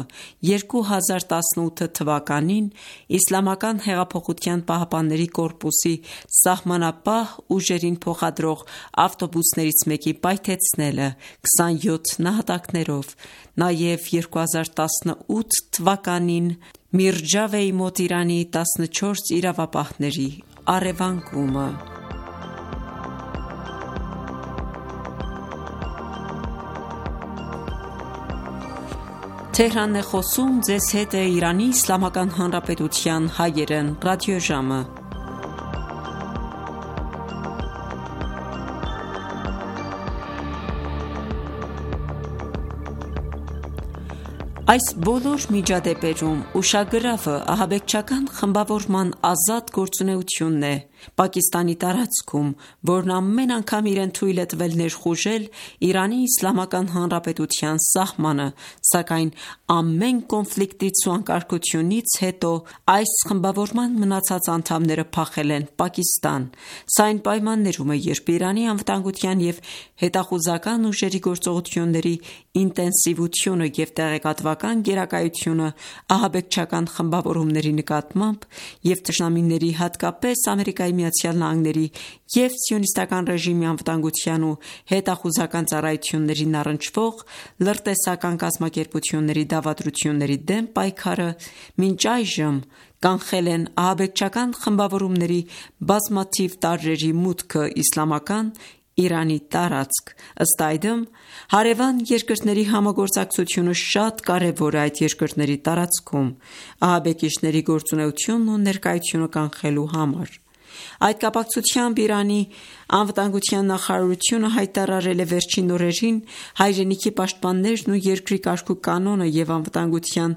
2018 թվականին Իսլամական հեղափոխության պահապանների կորպուսի սահմանապահ ուժերին փոխադրող ավտոբուսներից մեկի պայթեցնելը 27 նահատակներով, նաև 2018 թվականին Միրջավեի մոտ Իրանի 14 իրավապահների առևանգումը։ Այս բոլոր միջադեպերում ուշագրավը ահաբեկչական խմբավորման ազատ գործունեությունն է Պակիստանի տարածքում, որն ամեն անգամ իրեն թույլ է տվել ներխուժել Իրանի Իսլամական Հանրապետության սահմանը, սակայն ամեն կոնֆլիկտից ու անկարգությունից հետո այս խմբավորման մնացած անդամները փախել են Պակիստան։ Սա այն պայմաններում է, երբ Իրանի անվտանգության և հետախուզական ուժերի գործողությունների ինտենսիվությունը և տեղեկատվական սեփական գերակայությունը ահաբեկչական խմբավորումների նկատմամբ և թշնամիների, հատկապես ԱՄՆ-ի և սիոնիստական ռեժիմի անվտանգության ու հետախուզական ծառայություններին առնչվող լրտեսական կազմակերպությունների դավադրությունների դեմ պայքարը մինչ այժմ կանխել են ահաբեկչական խմբավորումների բազմաթիվ տարրերի մուտքը իսլամական Իրանի տարածք: Ըստ այդմ, հարևան երկրների համագործակցությունը շատ կարևոր է այդ երկրների տարածքում ահաբեկիչների գործունեությունն ու ներկայությունը կանխելու համար: Այդ կապակցությամբ Իրանի անվտանգության նախարարությունը հայտարարել է վերջին օրերին հայրենիքի պաշտպաններն ու երկրի կարգ ու կանոնը և անվտանգության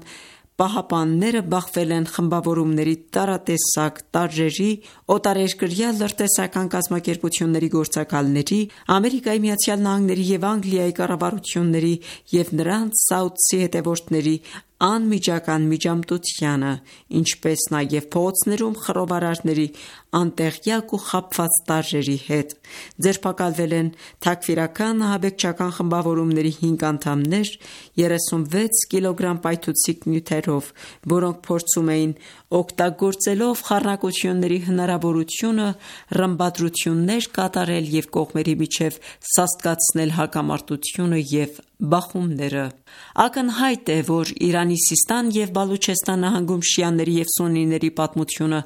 պահապանները բախվել են խմբավորումների տարատեսակ տարրերի, օտարերկրյա լրտեսական կազմակերպությունների գործակալների, ԱՄՆ-ի և Անգլիայի կառավարությունների և նրանց սաուդցի հետևորդների անմիջական միջամտությանը, ինչպես նաև փողոցներում խռովարարների անտեղյակ ու խաբված տարրերի հետ: Ձերբակալվել են թաքֆիրական ահաբեկչական խմբավորումների 5 անդամներ 36 կգ պայթուցիկ նյութերով, որոնք փորձում էին օգտագործելով խառնակությունների հնարավորությունը ռմբադրություններ կատարել և կողմերի միջև սաստկացնել հակամարտությունը և բախումները: Ակնհայտ է, որ Իրանի Սիստան և Բալուչեստան նահանգում շիաների և սուննիների պատմությունը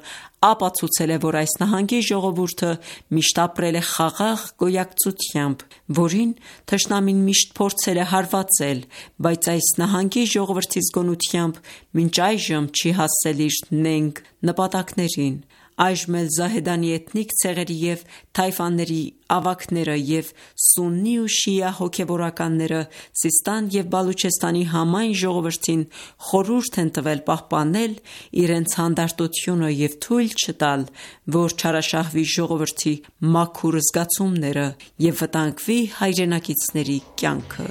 ապացուցել է, որ այս նահանգի ժողովուրդը միշտ ապրել է խաղաղ գոյակցությամբ, որին թշնամին միշտ փորձել է հարվածել, բայց այս նահանգի ժողովրդի զգոնությամբ մինչ այժմ չի հասել իր նենգ նպատակներին: Այժմ էլ Զահեդանի էթնիկ ցեղերի և թայֆաների ավագները և սուննի ու շիա հոգևորականները Սիստան և Բալուչեստանի համայն ժողովրդին խորհուրդ են տվել պահպանել իրենց հանդարտությունը և թույլ չտալ, որ չարաշահվի ժողովրդի մաքուր զգացումները և վտանգվի հայրենակիցների կյանքը: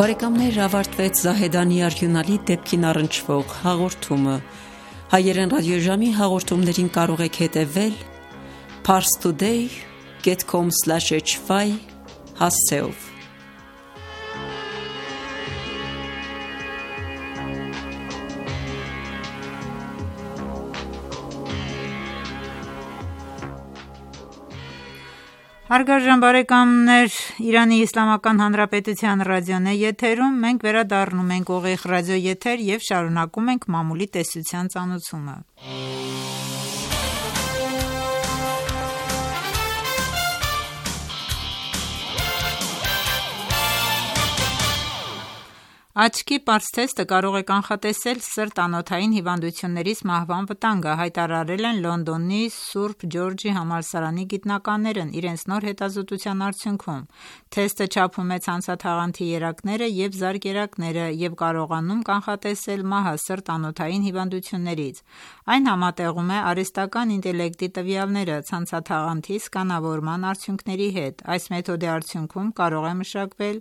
Ավարտվեց Զահեդանի արյունալի դեպքին առնչվող հաղորդումը: Հայերեն ռադիոժամի հաղորդումներին կարող եք հետևել parstoday.com/hy հասցեով: Հարգարժան բարեկամներ, Իրանի Իսլամական Հանրապետության ռադիոն է եթերում: Մենք վերադառնում ենք ուղիղ ռադիոեթեր և շարունակում ենք մամուլի տեսության ծանոթումը: Աչքի պարզ թեստը կարող է կանխատեսել սրտանոթային հիվանդություններից մահվան վտանգը, հայտարարել են Լոնդոնի Սուրբ Ջորջի համալսարանի գիտնականներն իրենց նոր հետազոտության արդյունքում: Թեստը չափում է ցանցաթաղանթի երակները և զարկերակները և կարողանում կանխատեսել մահը սրտանոթային հիվանդություններից: Այն համատեղում է արհեստական ինտելեկտի տվյալները ցանցաթաղանթի սկանավորման արդյունքների հետ: Այս մեթոդի արդյունքում կարող է մշակվել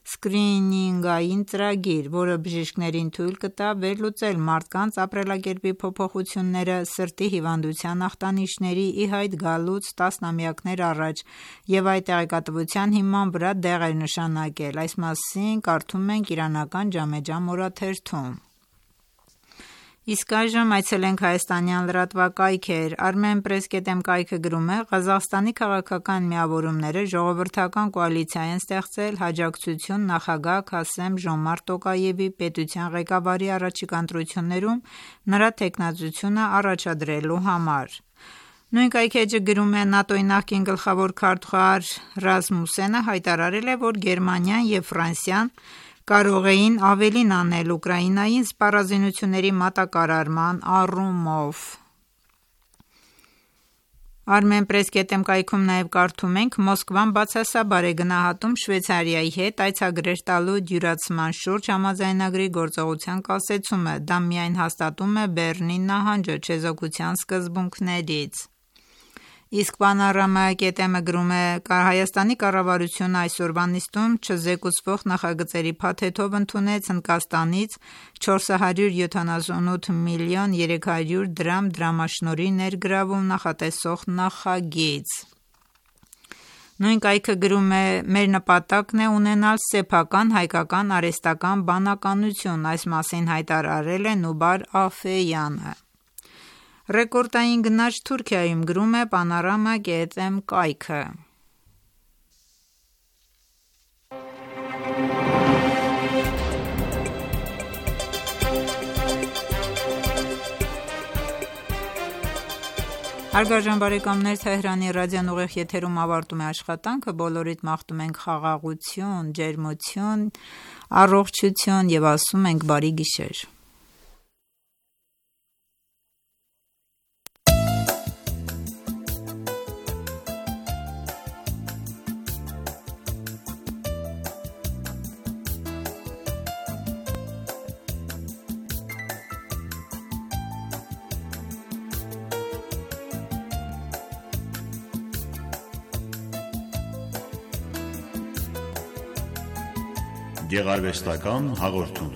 սկրինինգային ծրագիր, որը բժիշկներին թույլ կտա վերլուծել մարդկանց ապրելակերպի փոփոխությունները սրտի հիվանդության ախտանիշների ի հայտ գալուց տասնամյակներ առաջ և այդ տեղեկատվության հիման վրա դեղեր նշանակել: Այս մասին կարդում ենք իրանական «Ջամեջա» օրաթերթում: Իսկ այժմ այցելենք հայաստանյան լրատվակայքեր: Armenpress.am կայքը գրում է. Ղազախստանի քաղաքական միավորումները ժողովրդական կոալիցիա են ստեղծել հաջակցություն նախագահ Քասեմ-Ժոմարտ Տոկաևի պետության ղեկավարի առաջիկա ընտրություններում նրա թեկնածությունը առաջադրելու համար: Նույն կայքէջը գրում է. ՆԱՏՕ-ի նախկին գլխավոր քարտուղար Ռասմուսենը հայտարարել է, որ Գերմանիան և Ֆրանսիան կարող էին ավելին անել Ուկրաինային սպառազինությունների մատակարարման առումով: Armenpress.am կայքում նաև կարդում ենք. Մոսկվան բացասաբար է գնահատում Շվեյցարիայի հետ այցագրեր տալու դյուրացման շուրջ համաձայնագրի գործողության կասեցումը: Դա միայն հաստատում է Բեռնի նահանջը չեզոքության սկզբունքներից: Իսկ Panorama.am-ը գրում է. Հայաստանի կառավարությունը այսօրվա նիստում չզեկուցվող նախագծերի փաթեթով ընդունեց Հնդկաստանից 478 միլիոն 300 դրամ դրամաշնորհի ներգրավում նախատեսող նախագիծ։ Նույն կայքը գրում է. Մեր նպատակն է ունենալ սեփական հայկական արհեստական բանականություն, այս մասին հայտարարել է Նուբար Աֆեյանը։ Ռեկորդային գնաճ Թուրքիայում, գրում է Panorama.am կայքը։ Հարգարժան բարեկամներ, Թեհրանի ռադիոն ուղիղ եթերում ավարտում է աշխատանքը, բոլորիդ մաղթում ենք խաղաղություն, ջերմություն, առողջություն եւ ասում ենք բարի գիշեր։ Գեղարվեստական հաղորդում։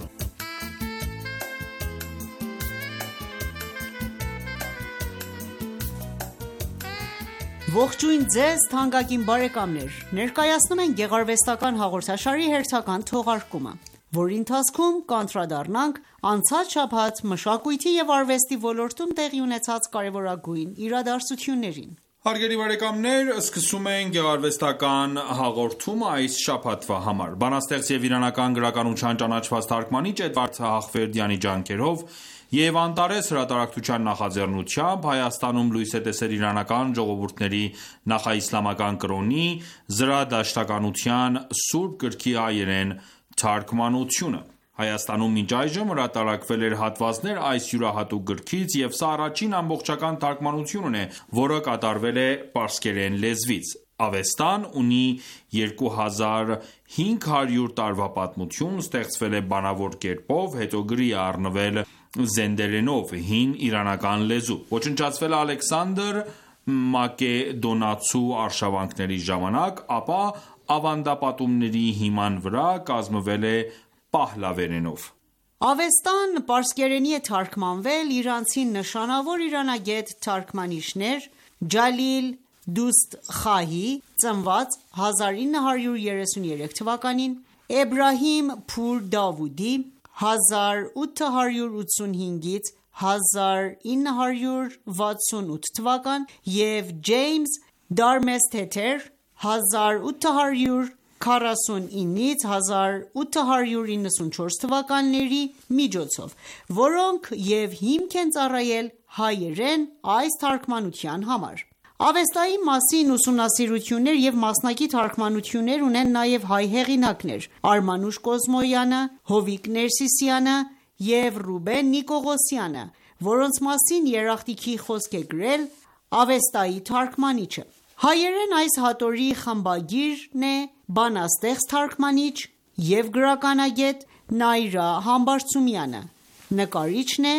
Ողջույն ձեզ թանկագին բարեկամներ, ներկայացնում ենք գեղարվեստական հաղորդաշարի հերթական թողարկումը, որի ընթացքում կանդրադառնանք անցած շաբաթ մշակույթի եւ արվեստի ոլորտում տեղի ունեցած կարևորագույն իրադարձություններին։ Հարգելի բարեկամներ, սկսում ենք գեղարվեստական հաղորդումը այս շաբաթվա համար։ Բանաստեղծ եւ իրանական գրականության ճանաչված թարգմանիչ Էդվարդ Հաղվերդյանի ջանքերով եւ Անտարես հրատարակչության նախաձեռնությամբ Հայաստանում լույս է տեսել իրանական ժողովուրդների նախաիսլամական կրոնի զրադաշտականության սուրբ գրքի հայերեն թարգմանությունը։ Հայաստանում մինչ այժմ հրատարակվել էր հատվածներ այս յուրահատուկ գրքից և սա առաջին ամբողջական թարգմանությունն է, որը կատարվել է պարսկերեն լեզվից։ Ավեստան ունի 2500 տարվա պատմություն, ստեղծվել է բանավոր կերպով, հետո գրի է առնվել զենդերենով, հին իրանական լեզու։ Ոչնչացվել է Ալեքսանդր Մակեդոնացու արշավանքների ժամանակ, ապա ավանդապատումների հիման վրա կազմվել է պահլավերենով։ Ավեստան պարսկերենի է թարգմանվել իրանցի նշանավոր իրանագետ թարգմանիչներ Ջալիլ Դուստ Խահի ծնված 1933 թվականին, Էբրահիմ Փուր Դավուդի 1885-ից 1968 թվական և Ջեյմս Դարմեսթեթեր 1849-ից 1894 թվականների միջոցով, որոնք և հիմք են ծառայել հայերեն այս թարգմանության համար։ Ավեստայի մասին ուսումնասիրություններ և մասնակի թարգմանություններ ունեն նաև հայ հեղինակներ՝ Արմանուշ Կոզմոյանը, Հովիկ Ներսիսյանը և Ռուբեն Նիկողոսյանը, որոնց մասին երախտիքի խոսք է գրել Ավեստայի թարգմանիչը։ Հայերեն այս հատորի խմբագիրն է բանաստեղծ թարգմանիչ և գրականագետ Նայրա Համբարձումյանը, նկարիչն է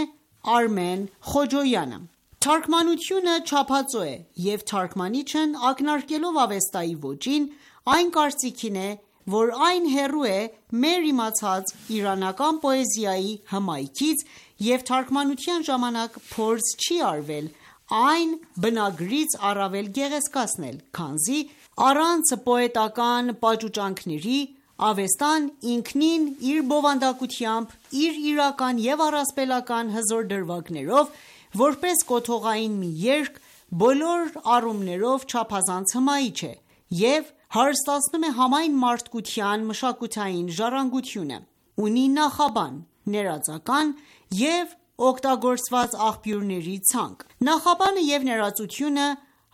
Արմեն Խոջոյանը։ Թարգմանությունը չափածո է, և թարգմանիչն ակնարկելով Ավեստայի ոճին, այն կարծիքին է, որ այն հեռու է մեր իմացած իրանական պոեզիայի հմայքից և թարգմանության ժամանակ փորձ չի արվել այն բնագրից առավել գեղեցկացնել, քանզի առանց պոետական պաճուճանքների Ավեստան ինքնին իր բովանդակությամբ, իր իրական և առասպելական հզոր դրվագներով, որպես կոթողային մի երգ, բոլոր առումներով չափազանց հմայիչ է և հարստացնում է համայն մարդկության մշակութային ժառանգությունը։ Ունի նախաբան, ներածական և օգտագործված աղբյուրների ցանկ։ Նախաբանը և ներածությունը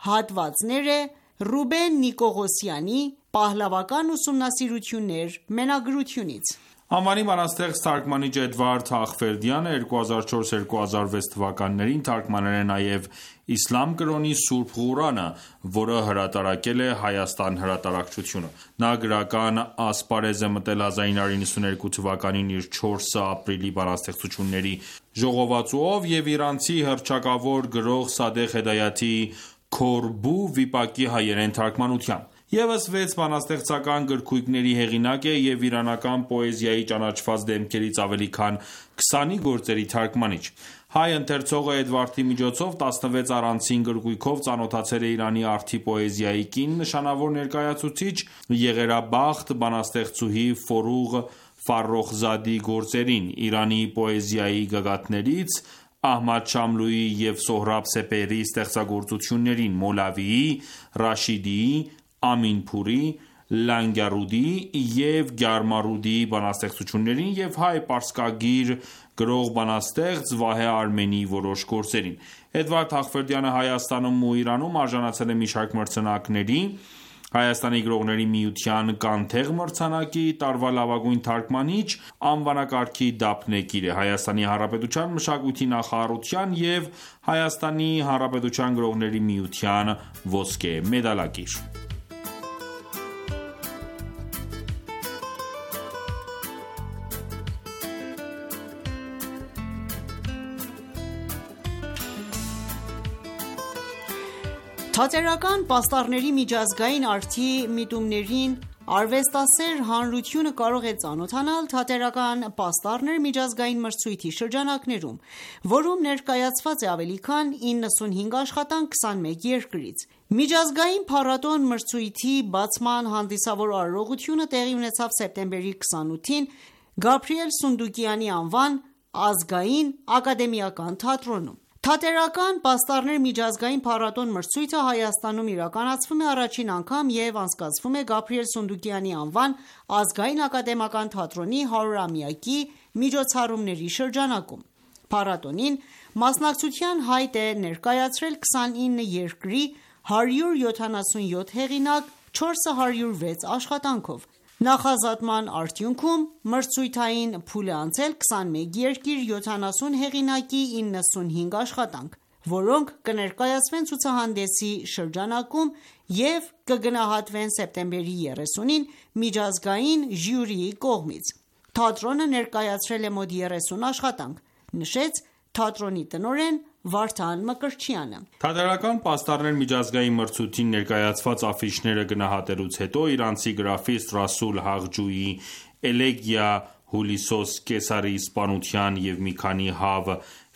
հատվածներ է Ռուբեն Նիկողոսյանի «Պահլավական ուսումնասիրություններ» մենագրությունից։ Անվանի բանաստեղծ թարգմանիչ Էդվարդ Հաղվերդյանը 2004-2006 թվականներին թարգմանել է նաև իսլամ կրոնի Սուրբ Ղուրանը, որը հրատարակել է Հայաստան հրատարակչությունը։ Նա գրական ասպարեզ է մտել 1992 թվականին իր 4 ապրիլի բանաստեղծությունների ժողովածուով և իրանցի հռչակավոր գրող Սադեղ Հեդայաթի Քորբու վիպակի հայերեն թարգմանությամբ։ Եվս 6 բանաստեղծական գրքույկների հեղինակ է և իրանական պոեզիայի ճանաչված դեմքերից ավելի քան 20-ի գործերի թարգմանիչ։ Հայ ընթերցողը Էդվարդի միջոցով 16 առանցին գրքույկով ծանոթացել է Իրանի արդի պոեզիայի կին նշանավոր ներկայացուցիչ Եղերաբախտ բանաստեղծուհի Ֆորուղ Ֆարոխզադի գործերին, Իրանի պոեզիայի գագաթներից Ահմադ Շամլուի և Սոհրաբ Սեպեհրի ստեղծագործություններին, Մոլավիի, Ռաշիդիի, Ամինփուրի, Լանգարուդի և Գյարմարուդիի բանաստեղծություններին և հայ պարսկագիր գրող բանաստեղծ Վահե Արմենիի որոշ գործերին։ Էդվարդ Հաղվերդյանը Հայաստանում ու Իրանում արժանացել է մի շարք մրցանակների, Հայաստանի գրողների միության «Կանթեղ» մրցանակի տարվա լավագույն թարգմանիչ անվանակարգի դափնեկիր է, Հայաստանի Հանրապետության մշակույթի նախարարության և Հայաստանի Հանրապետության գրողների միության ոսկե մեդալակիր։ Թատերական պաստառների միջազգային արդի միտումներին արվեստասեր հանրությունը կարող է ծանոթանալ «Թատերական պաստառներ» միջազգային մրցույթի շրջանակներում, որում ներկայացված է ավելի քան 95 աշխատանք 21 երկրից։ Միջազգային փառատոն մրցույթի բացման հանդիսավոր արարողությունը տեղի ունեցավ սեպտեմբերի 28-ին Գաբրիել Սունդուկյանի անվան ազգային ակադեմիական թատրոնում։ Թատերական պաստառներ միջազգային փառատոն մրցույթը Հայաստանում իրականացվում է առաջին անգամ և անցկացվում է Գաբրիել Սունդուկյանի անվան ազգային ակադեմիական թատրոնի 100-ամյակի միջոցառումների շրջանակում։ Փառատոնին մասնակցության հայտ է ներկայացրել 29 երկրի 177 հեղինակ 406 աշխատանքով։ Նախազատման արդյունքում մրցույթային փուլ է անցել 21 երկիր 70 հեղինակի 95 աշխատանք, որոնք կներկայացվեն ցուցահանդեսի շրջանակում և կգնահատվեն սեպտեմբերի 30-ին միջազգային ժյուրիի կողմից։ Թատրոնը ներկայացրել է մոտ 30 աշխատանք, նշեց թատրոնի տնօրեն Վարդան Մկրտչյանը։ Թատերական պաստառներ միջազգային մրցույթին ներկայացված աֆիշները գնահատելուց հետո իրանցի գրաֆիստ Ռասուլ Հաղջուի «Էլեգիա Հուլիսոս Կեսարի սպանության և մի քանի հավ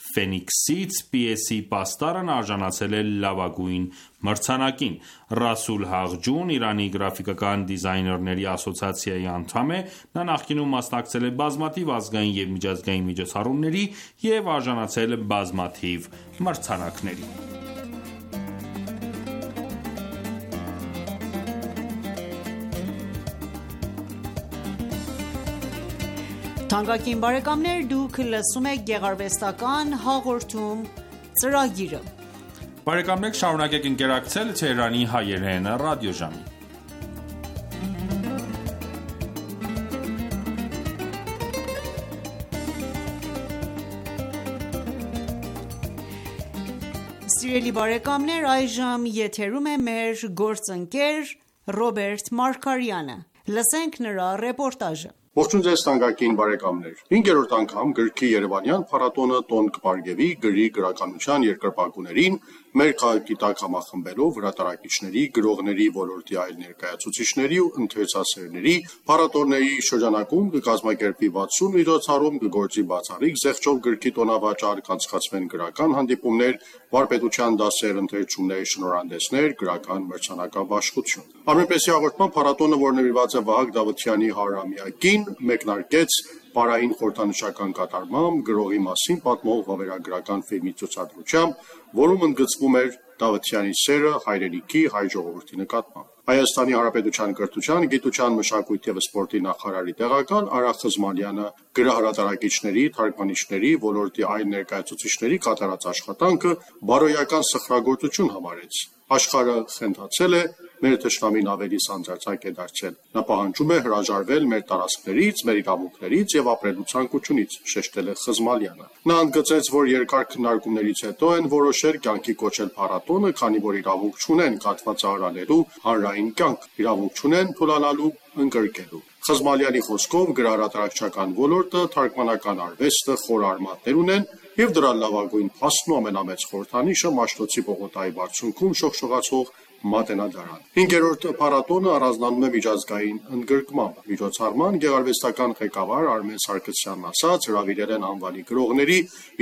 Ֆենիքսից» պիեսի պաստառն արժանացել է լավագույն մրցանակին։ Ռասուլ Հաղջուն Իրանի գրաֆիկական դիզայներների ասոցիացիայի անդամ է։ Նա նախկինում մասնակցել է բազմաթիվ ազգային և միջազգային միջոցառումների և արժանացել բազմաթիվ մրցանակների։ Թանկագին բարեկամներ, դուք լսում եք գեղարվեստական հաղորդում ծրագիրը։ Բարեկամներ շարունակեք ընկերակցել Թեհրանի հայերեն ռադիոժամին։ Սիրելի բարեկամներ, այժմ եթերում է մեր գործընկեր Ռոբերտ Մարգարյանը։ Լսենք նրա ռեպորտաժը։ Ողջույն ձեզ թանկագին բարեկամներ։ 5-րդ անգամ գրքի Երևանյան փառատոնը տոն կպարգևի գրի գրականության երկրպագուներին, մեր քաղաքագիտակ համախմբելով հրատարակիչների, գրողների, ոլորտի այլ ներկայացուցիչների ու ընթերցասերների փառատոների շրջանակում կկազմակերպվի 60 միջոցառում, կգործի բացառիկ զեղչով գրքի տոնավաճառ, կանցկացվեն գրական հանդիպումներ, վարպետության դասեր, ընթերցումներ, շնորհանդեսներ, գրական մրցանակաբաշխություն։ Արմենպեսի հաղորդման փառատոնը, որ նվիրված է Վահագ Դավթյանի 100-ամյակին, մեկնարկեց Պարային խորհրդանշական կատարմամբ գրողի մասին պատմող վավերագրական ֆիլմի ցուցադրությամբ, որում ընդգծվում էր Դավթյանի սերը հայրենիքի, հայ ժողովրդի նկատմամբ։ Հայաստանի Հանրապետության կրթության, գիտության, մշակույթի և սպորտի նախարարի տեղակալ Արա Խզմալյանը գրահրատարակիչների, թարգմանիչների, ոլորտի այլ ներկայացուցիչների կատարած աշխատանքը բարոյական սխրագործություն համարեց։ Աշխարհը խենթացել է, մեր թշնամին ավելի սանձարձակ է դարձել։ Նա պահանջում է հրաժարվել մեր տարածքներից, մեր իրավունքներից և ապրելու ցանկությունից, շեշտել է Խզմալյանը։ Նա ընդգծեց, որ երկար քննարկումներից հետո են որոշել կյանքի կոչել փառատոնը, քանի որ իրավունք չունեն կաթվածահարալելու հանրային կյանք, իրավունք չունեն թուլանալու, ընկրկելու։ Խզմալյանի խոսքով գրահրատարակչական ոլորտը, թարգմանական արվեստը խոր արմատներ ունեն, եւ դրա լավագույն փաստն ու ամենամեծ խորհրդանիշը Մաշտոցի պողոտայի բարձունքում շողշողացող Մատենադարան։ 5-րդ փառատոնը առանձնանում է միջազգային ընդգրկմամբ։ Միջոցառման գեղարվեստական ղեկավար Արմեն Սարգսյանն ասաց, հրավիրել են անվանի գրողների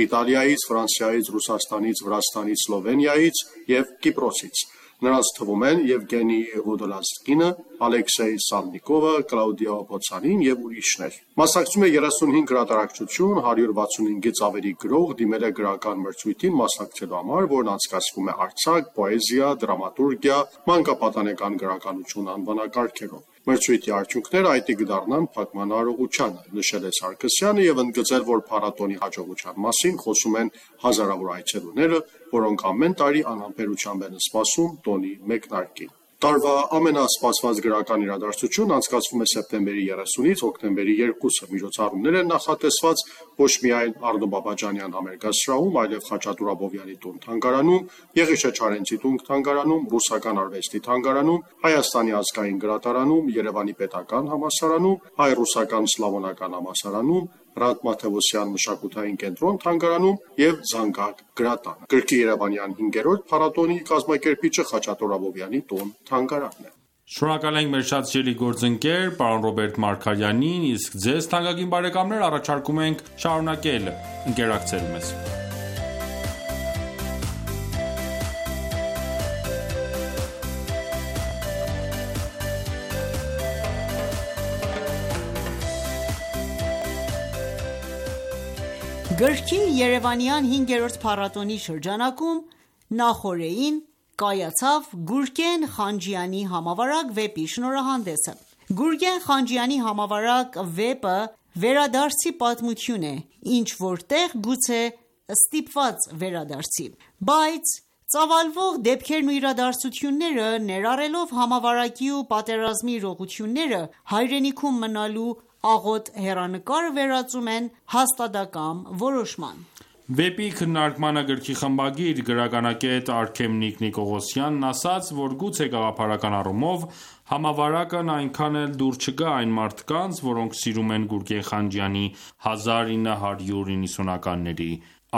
Իտալիայից, Ֆրանսիայից, Ռուսաստանից, Վրաստանից, Սլովենիայից եւ Կիպրոսից։ Նրանց թվում են Եվգենի Ոդոլազկինը, Ալեքսեյ Սալնիկովը, Կլաուդիա Պոցանին եւ ուրիշներ։ Մասնակցում է 35 գրատարակչություն, 165-ից ավելի գրող դիմել է գրական մրցույթին մասնակցելու համար, որն անցկացվում է արձակ, պոեզիա, դրամատուրգիա, մանկապատանեկան գրականություն անվանակարգերով։ Մրցույթի արդյունքները այդի կդառնան փակման արարողությանը, նշել է Սարգսյանը եւ ընդգծել, որ փառատոնի հաջողության մասին խոսում են հազարավոր այցելուները, որոնք ամեն տարի անհամբերությամբ են սպասում տոնի մեկնարկին։ Տարվա ամենասպասված գրական իրադարձությունն անցկացվում է սեպտեմբերի 30-ից հոկտեմբերի 2-ը։ Միջոցառումներ են նախատեսված ոչ միայն Արտո Բաբաջանյան համերգասրահում, այլև Խաչատուր Աբովյանի տուն թանգարանում, Եղիշե Չարենցի տուն թանգարանում, Ռուսական արվեստի թանգարանում, Հայաստանի ազգային գրադարանում, Երևանի պետական համալսարանում, Հայ-ռուսական սլավոնական համալսարանում, Հրանտ Մաթևոսյան մշակութային կենտրոն թանգարանում եւ Զանգակ գրատանը։ Գրքի Երևանյան 5-րդ փառատոնի կազմակերպիչը Խաչատուր Աբովյանի տուն թանգարանն է։ Շնորհակալ ենք մեր շատ սիրելի գործընկեր պարոն Ռոբերտ Մարգարյանին, իսկ ձեզ թանկագին բարեկամներ առաջարկում ենք շարունակել ընկերակցել մեզ։ Գրքի Երևանյան 5-րդ փառատոնի շրջանակում նախօրեին կայացավ Գուրգեն Խանջյանի համավարակ վեպի շնորհանդեսը։ Գուրգեն Խանջյանի համավարակ վեպը վերադարձի պատմություն է, ինչ որտեղ գուցե ստիպված վերադարձի, բայց ծավալվող դեպքերն ու իրադարձությունները ներառելով համավարակի ու պատերազմի իրողությունները հայրենիքում մնալու աղոտ հեռանկարը վերածում են հաստատակամ որոշման։ Վեպի քննարկմանը գրքի խմբագիր գրականագետ Արքեմնիկ Նիկողոսյանն ասաց, որ գուցե գաղափարական առումով համավարակն այնքան էլ դուր չգա այն մարդկանց, որոնք սիրում են Գուրգեն Խանջյանի 1990-ականների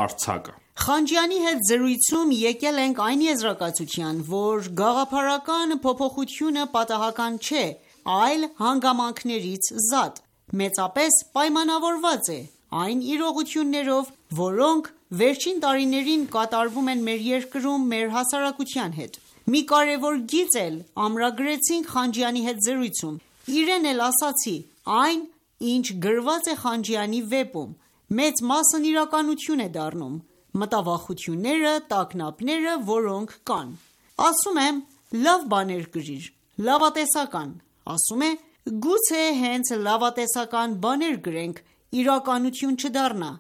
արձակը։ Խանջյանի հետ զրույցում եկել ենք այն եզրակացության, որ գաղափարական փոփոխությունը պատահական չէ, այլ հանգամանքներից զատ, մեծապես պայմանավորված է այն իրողություններով, որոնք վերջին տարիներին կատարվում են մեր երկրում մեր հասարակության հետ։ Մի կարևոր գիծ էլ ամրագրեցինք Խանջյանի հետ զրույցում, իրեն էլ ասացի, այն, ինչ գրված է Խանջյանի վեպում, մեծ մասն իրականություն է դառնում, մտավախությունները, տագնապները, որոնք կան։ Ասում եմ, լավ բաներ գրիր, լավատեսական, ասում է, գուցե հենց լավատեսական բաներ գրենք, իրականություն չդառնա,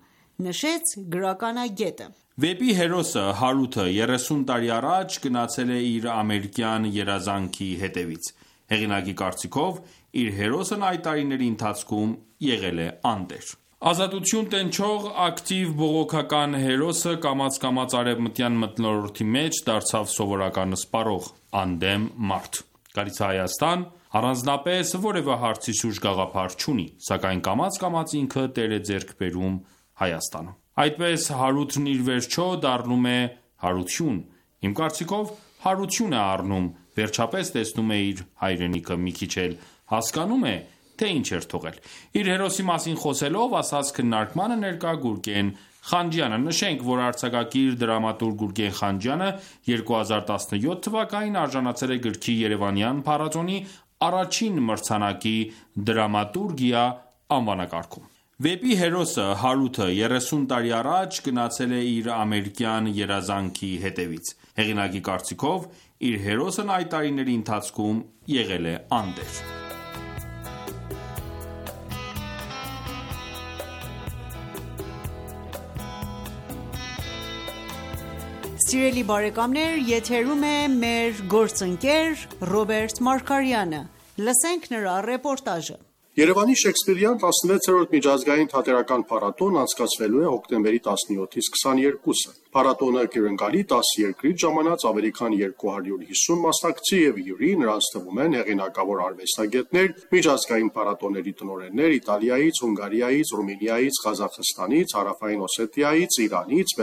նշեց գրականագետը։ Վեպի հերոսը Հարութը 30 տարի առաջ գնացել է իր ամերիկյան երազանքի հետևից։ Հեղինակի կարծիքով իր հերոսն այդ տարիների ընթացքում եղել է անտեր։ Ազատություն տենչող ակտիվ բողոքական հերոսը կամաց-կամաց արևմտյան մթնոլորտի մեջ դարձավ սովորական սպառող, անդեմ մարդ։ Գալիս է Հայաստան, առանձնապես որևէ հարցի շուրջ գաղափար չունի, սակայն կամաց-կամաց ինքը տեր է ձեռք բերում Հայաստանում։ Այդպես Հարութն իր վերջո դառնում է հարություն։ Իմ կարծիքով հարություն է առնում, վերջապես տեսնում է իր հայրենիքը, մի քիչ էլ հասկանում է, թե ինչ էր թողել։ Իր հերոսի մասին խոսելով ասաց քննարկմանը ներկա Գուրգեն Խանջյանը։ Նշենք, որ արձակագիր դրամատուրգ Գուրգեն Խանջյանը 2017 թվականին արժանացել է գրքի Երևանյան փառատոնի առաջին մրցանակի դրամատուրգիա անվանակարգում։ Վեպի հերոսը Հարութը 30 տարի առաջ գնացել է իր ամերիկյան երազանքի հետևից։ Հեղինակի կարծիքով իր հերոսն այդ տարիների ընթացքում եղել է անտեր։ Սիրելի բարեկամներ, եթերում է մեր գործընկեր Ռոբերտ Մարգարյանը։ Լսենք նրա ռեպորտաժը։ Երևանի Շեքսպիրյան 16-րդ միջազգային թատերական փառատոն անցկացվելու է հոկտեմբերի 17-ից 22-ը։ Փառատոնը կրկնակալի 10 երկրից ժամանած ավելի քան 250 մասնակցի եւ հյուրի, նրանց թվում են հեղինակավոր արվեստագետներ, միջազգային փառատոների տնօրեններ Իտալիայից, Հունգարիայից, Ռումինիայից, Ղազախստանից, Հարավային Օսետիայից, Իրանից,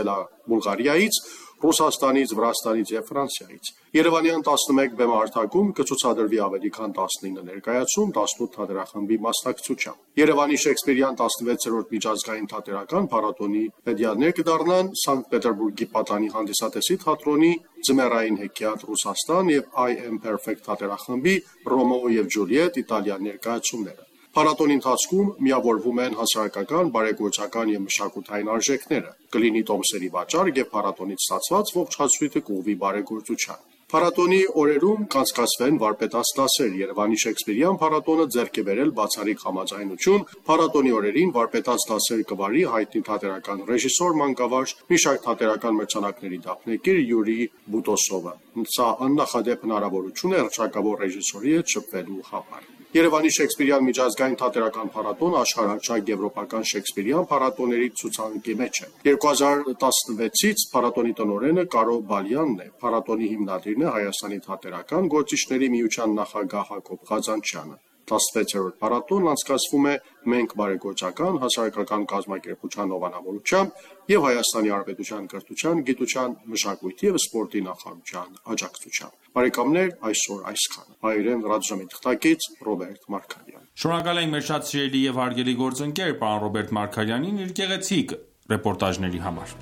Բուլղարիայից, Ռուսաստանից, Վրաստանից եւ Ֆրանսիայից։ Երևանյան 11 բեմահարթակում կցուցադրվի ավելի քան 19 ներկայացում 18 թատերախմբի մասնակցությամբ։ Երևանի Շեքսպիրյան 16-րդ միջազգային թատերական փառատոնի մեդիաներ կդառնան Սանկտ Պետերբուրգի Պատանի հանդիսատեսի թատրոնի Ձմեռային հեքիաթ Ռուսաստան եւ I Am Perfect թատերախմբի Ռոմեո եւ Ջուլիետ Իտալիան ներկայացումները։ Փառատոնի ընթացքում միավորվում են հասարակական, բարեգործական եւ մշակութային արժեքները, կլինի տոմսերի վաճառք եւ փառատոնից ստացված ողջ հացույթը կուղղվի բարեգործության։ Փառատոնի օրերում կանցկացվեն վարպետաց դասեր։ Երևանի Շեքսպիրյան փառատոնը ձեռք է բերել բացառիկ համաձայնություն։ Փառատոնի օրերին վարպետաց դասեր կվարի հայտնի թատերական ռեժիսոր, մանկավարժ, մի շարք թատերական մրցանակների դափնեկիր Յուրի Բուտոսովը։ Սա աննախադեպ հնարավորություն է հռչակավոր ռեժիսորի հետ շփվելու համար։ Երևանի Շեքսպիրյան միջազգային թատերական փառատոնը աշխարհահռչակ եվրոպական Շեքսպիրյան փառատոների ցուցանակի մեջ է։ 2016-ից փառատոնի տնօրենը Կարո Բալյանն է։ Փառատոնի հիմնադիրն է Հայաստանի թատերական գործիչների միության նախագահ Հակոբ Ղազանչյանը։ 16-րդ փառատոնն անցկացվում է Մենք բարեգործական հասարակական կազմակերպության հովանավորությամբ եւ Հայաստանի Հանրապետության կրթության, գիտության, մշակույթի եւ սպորտի նախարարության աջակցությամբ։ Բարեկամներ, այսօր այսքանը։ Հայերեն ռադիոժամի թղթակից Ռոբերտ Մարգարյան։ Շնորհակալ ենք մեր շատ սիրելի եւ հարգելի գործընկեր պարոն Ռոբերտ Մարգարյանին իր գեղեցիկ ռեպորտաժների համար։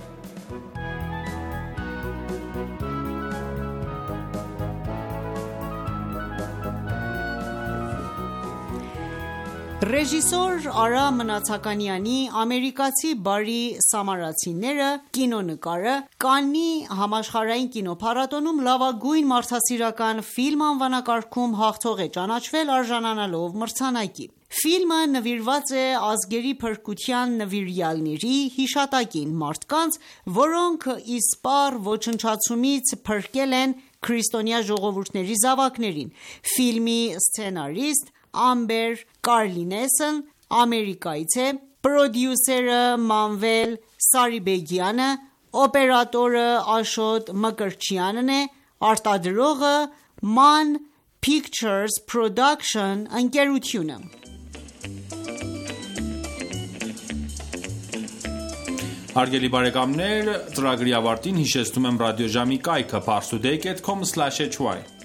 Ռեժիսոր Արա Մնացականյանի ամերիկացի բարի սամարացիները կինոնկարը Կաննի համաշխարհային կինոփառատոնում լավագույն մարդասիրական ֆիլմ անվանակարգում հաղթող է ճանաչվել արժանանալով մրցանակի։ Ֆիլմը նվիրված է ազգերի փրկության նվիրյալների հիշատակին, մարդկանց, որոնք իսպառ ոչնչացումից փրկել են քրիստոնյա ժողովուրդների զավակներին։ Ֆիլմի սցենարիստ Ամբեր Կարլինեսն Ամերիկայից է, պրոդյուսերը Մանվել Սարիբեգյանը, օպերատորը Աշոտ Մկրտչյանն է, արտադրողը Man Pictures Production ընկերությունը։ Հարգելի բարեկամներ, ծրագրի ավարտին հիշեցնում եմ ռադիոժամի կայքը parstoday.com/hy։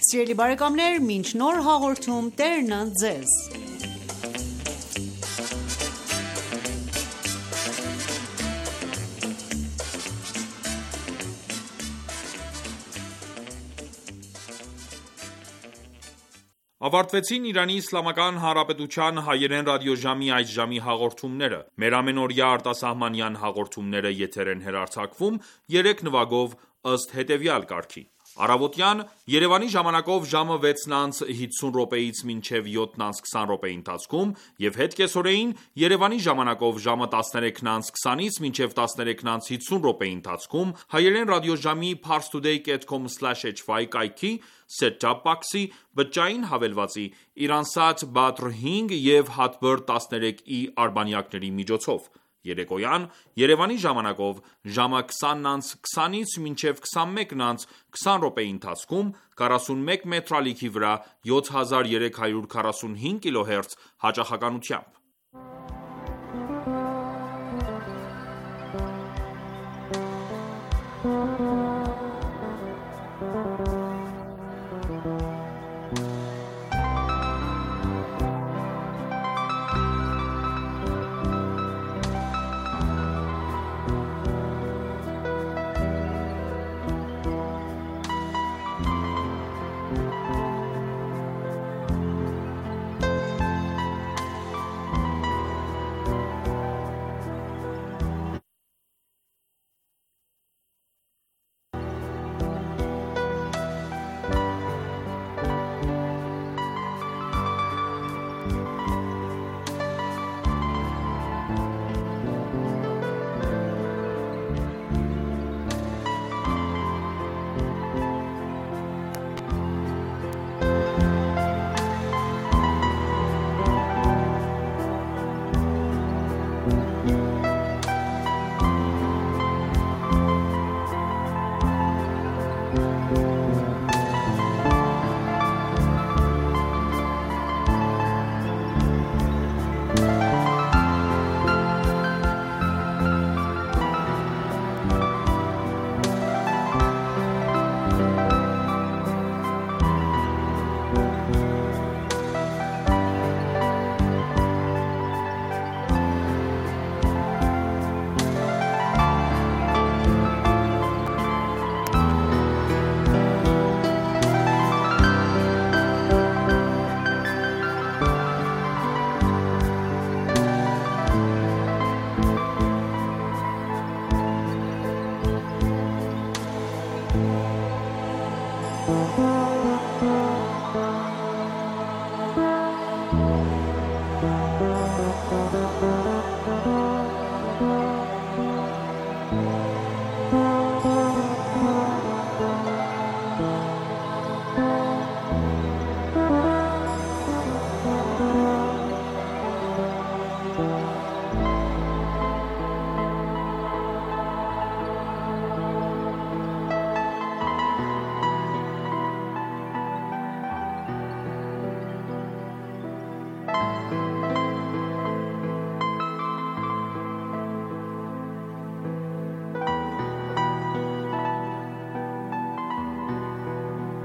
Սիրելի բարեկամներ, մինչ նոր հաղորդում Տերն ձեզ։ Ավարտվեցին Իրանի Իսլամական Հանրապետության հայերեն ռադիոժամի այս ժամի հաղորդումները։ Մեր ամենօրյա արտասահմանյան հաղորդումները եթեր են հեռարձակվում 3 նվագով ըստ հետևյալ կարգի։ Առավոտյան Երևանի ժամանակով ժամը 6:50-ից մինչև 7:20 ընթացքում եւ հետ կեսօրեին Երևանի ժամանակով ժամը 13:20-ից մինչև 13:50 ընթացքում հայերեն ռադիոժամի parstoday.com/hy կայքի set-top box-ի բջջային հավելվածի Iransat Badr 5 եւ Hotbird 13i արբանյակների միջոցով։ Երեկոյան Երևանի ժամանակով ժամը 20:20-ից մինչև 21:20 ընթացքում 41 մետրալիքի վրա 7345 կիլոհերց հաճախականությամբ։ Ողջույն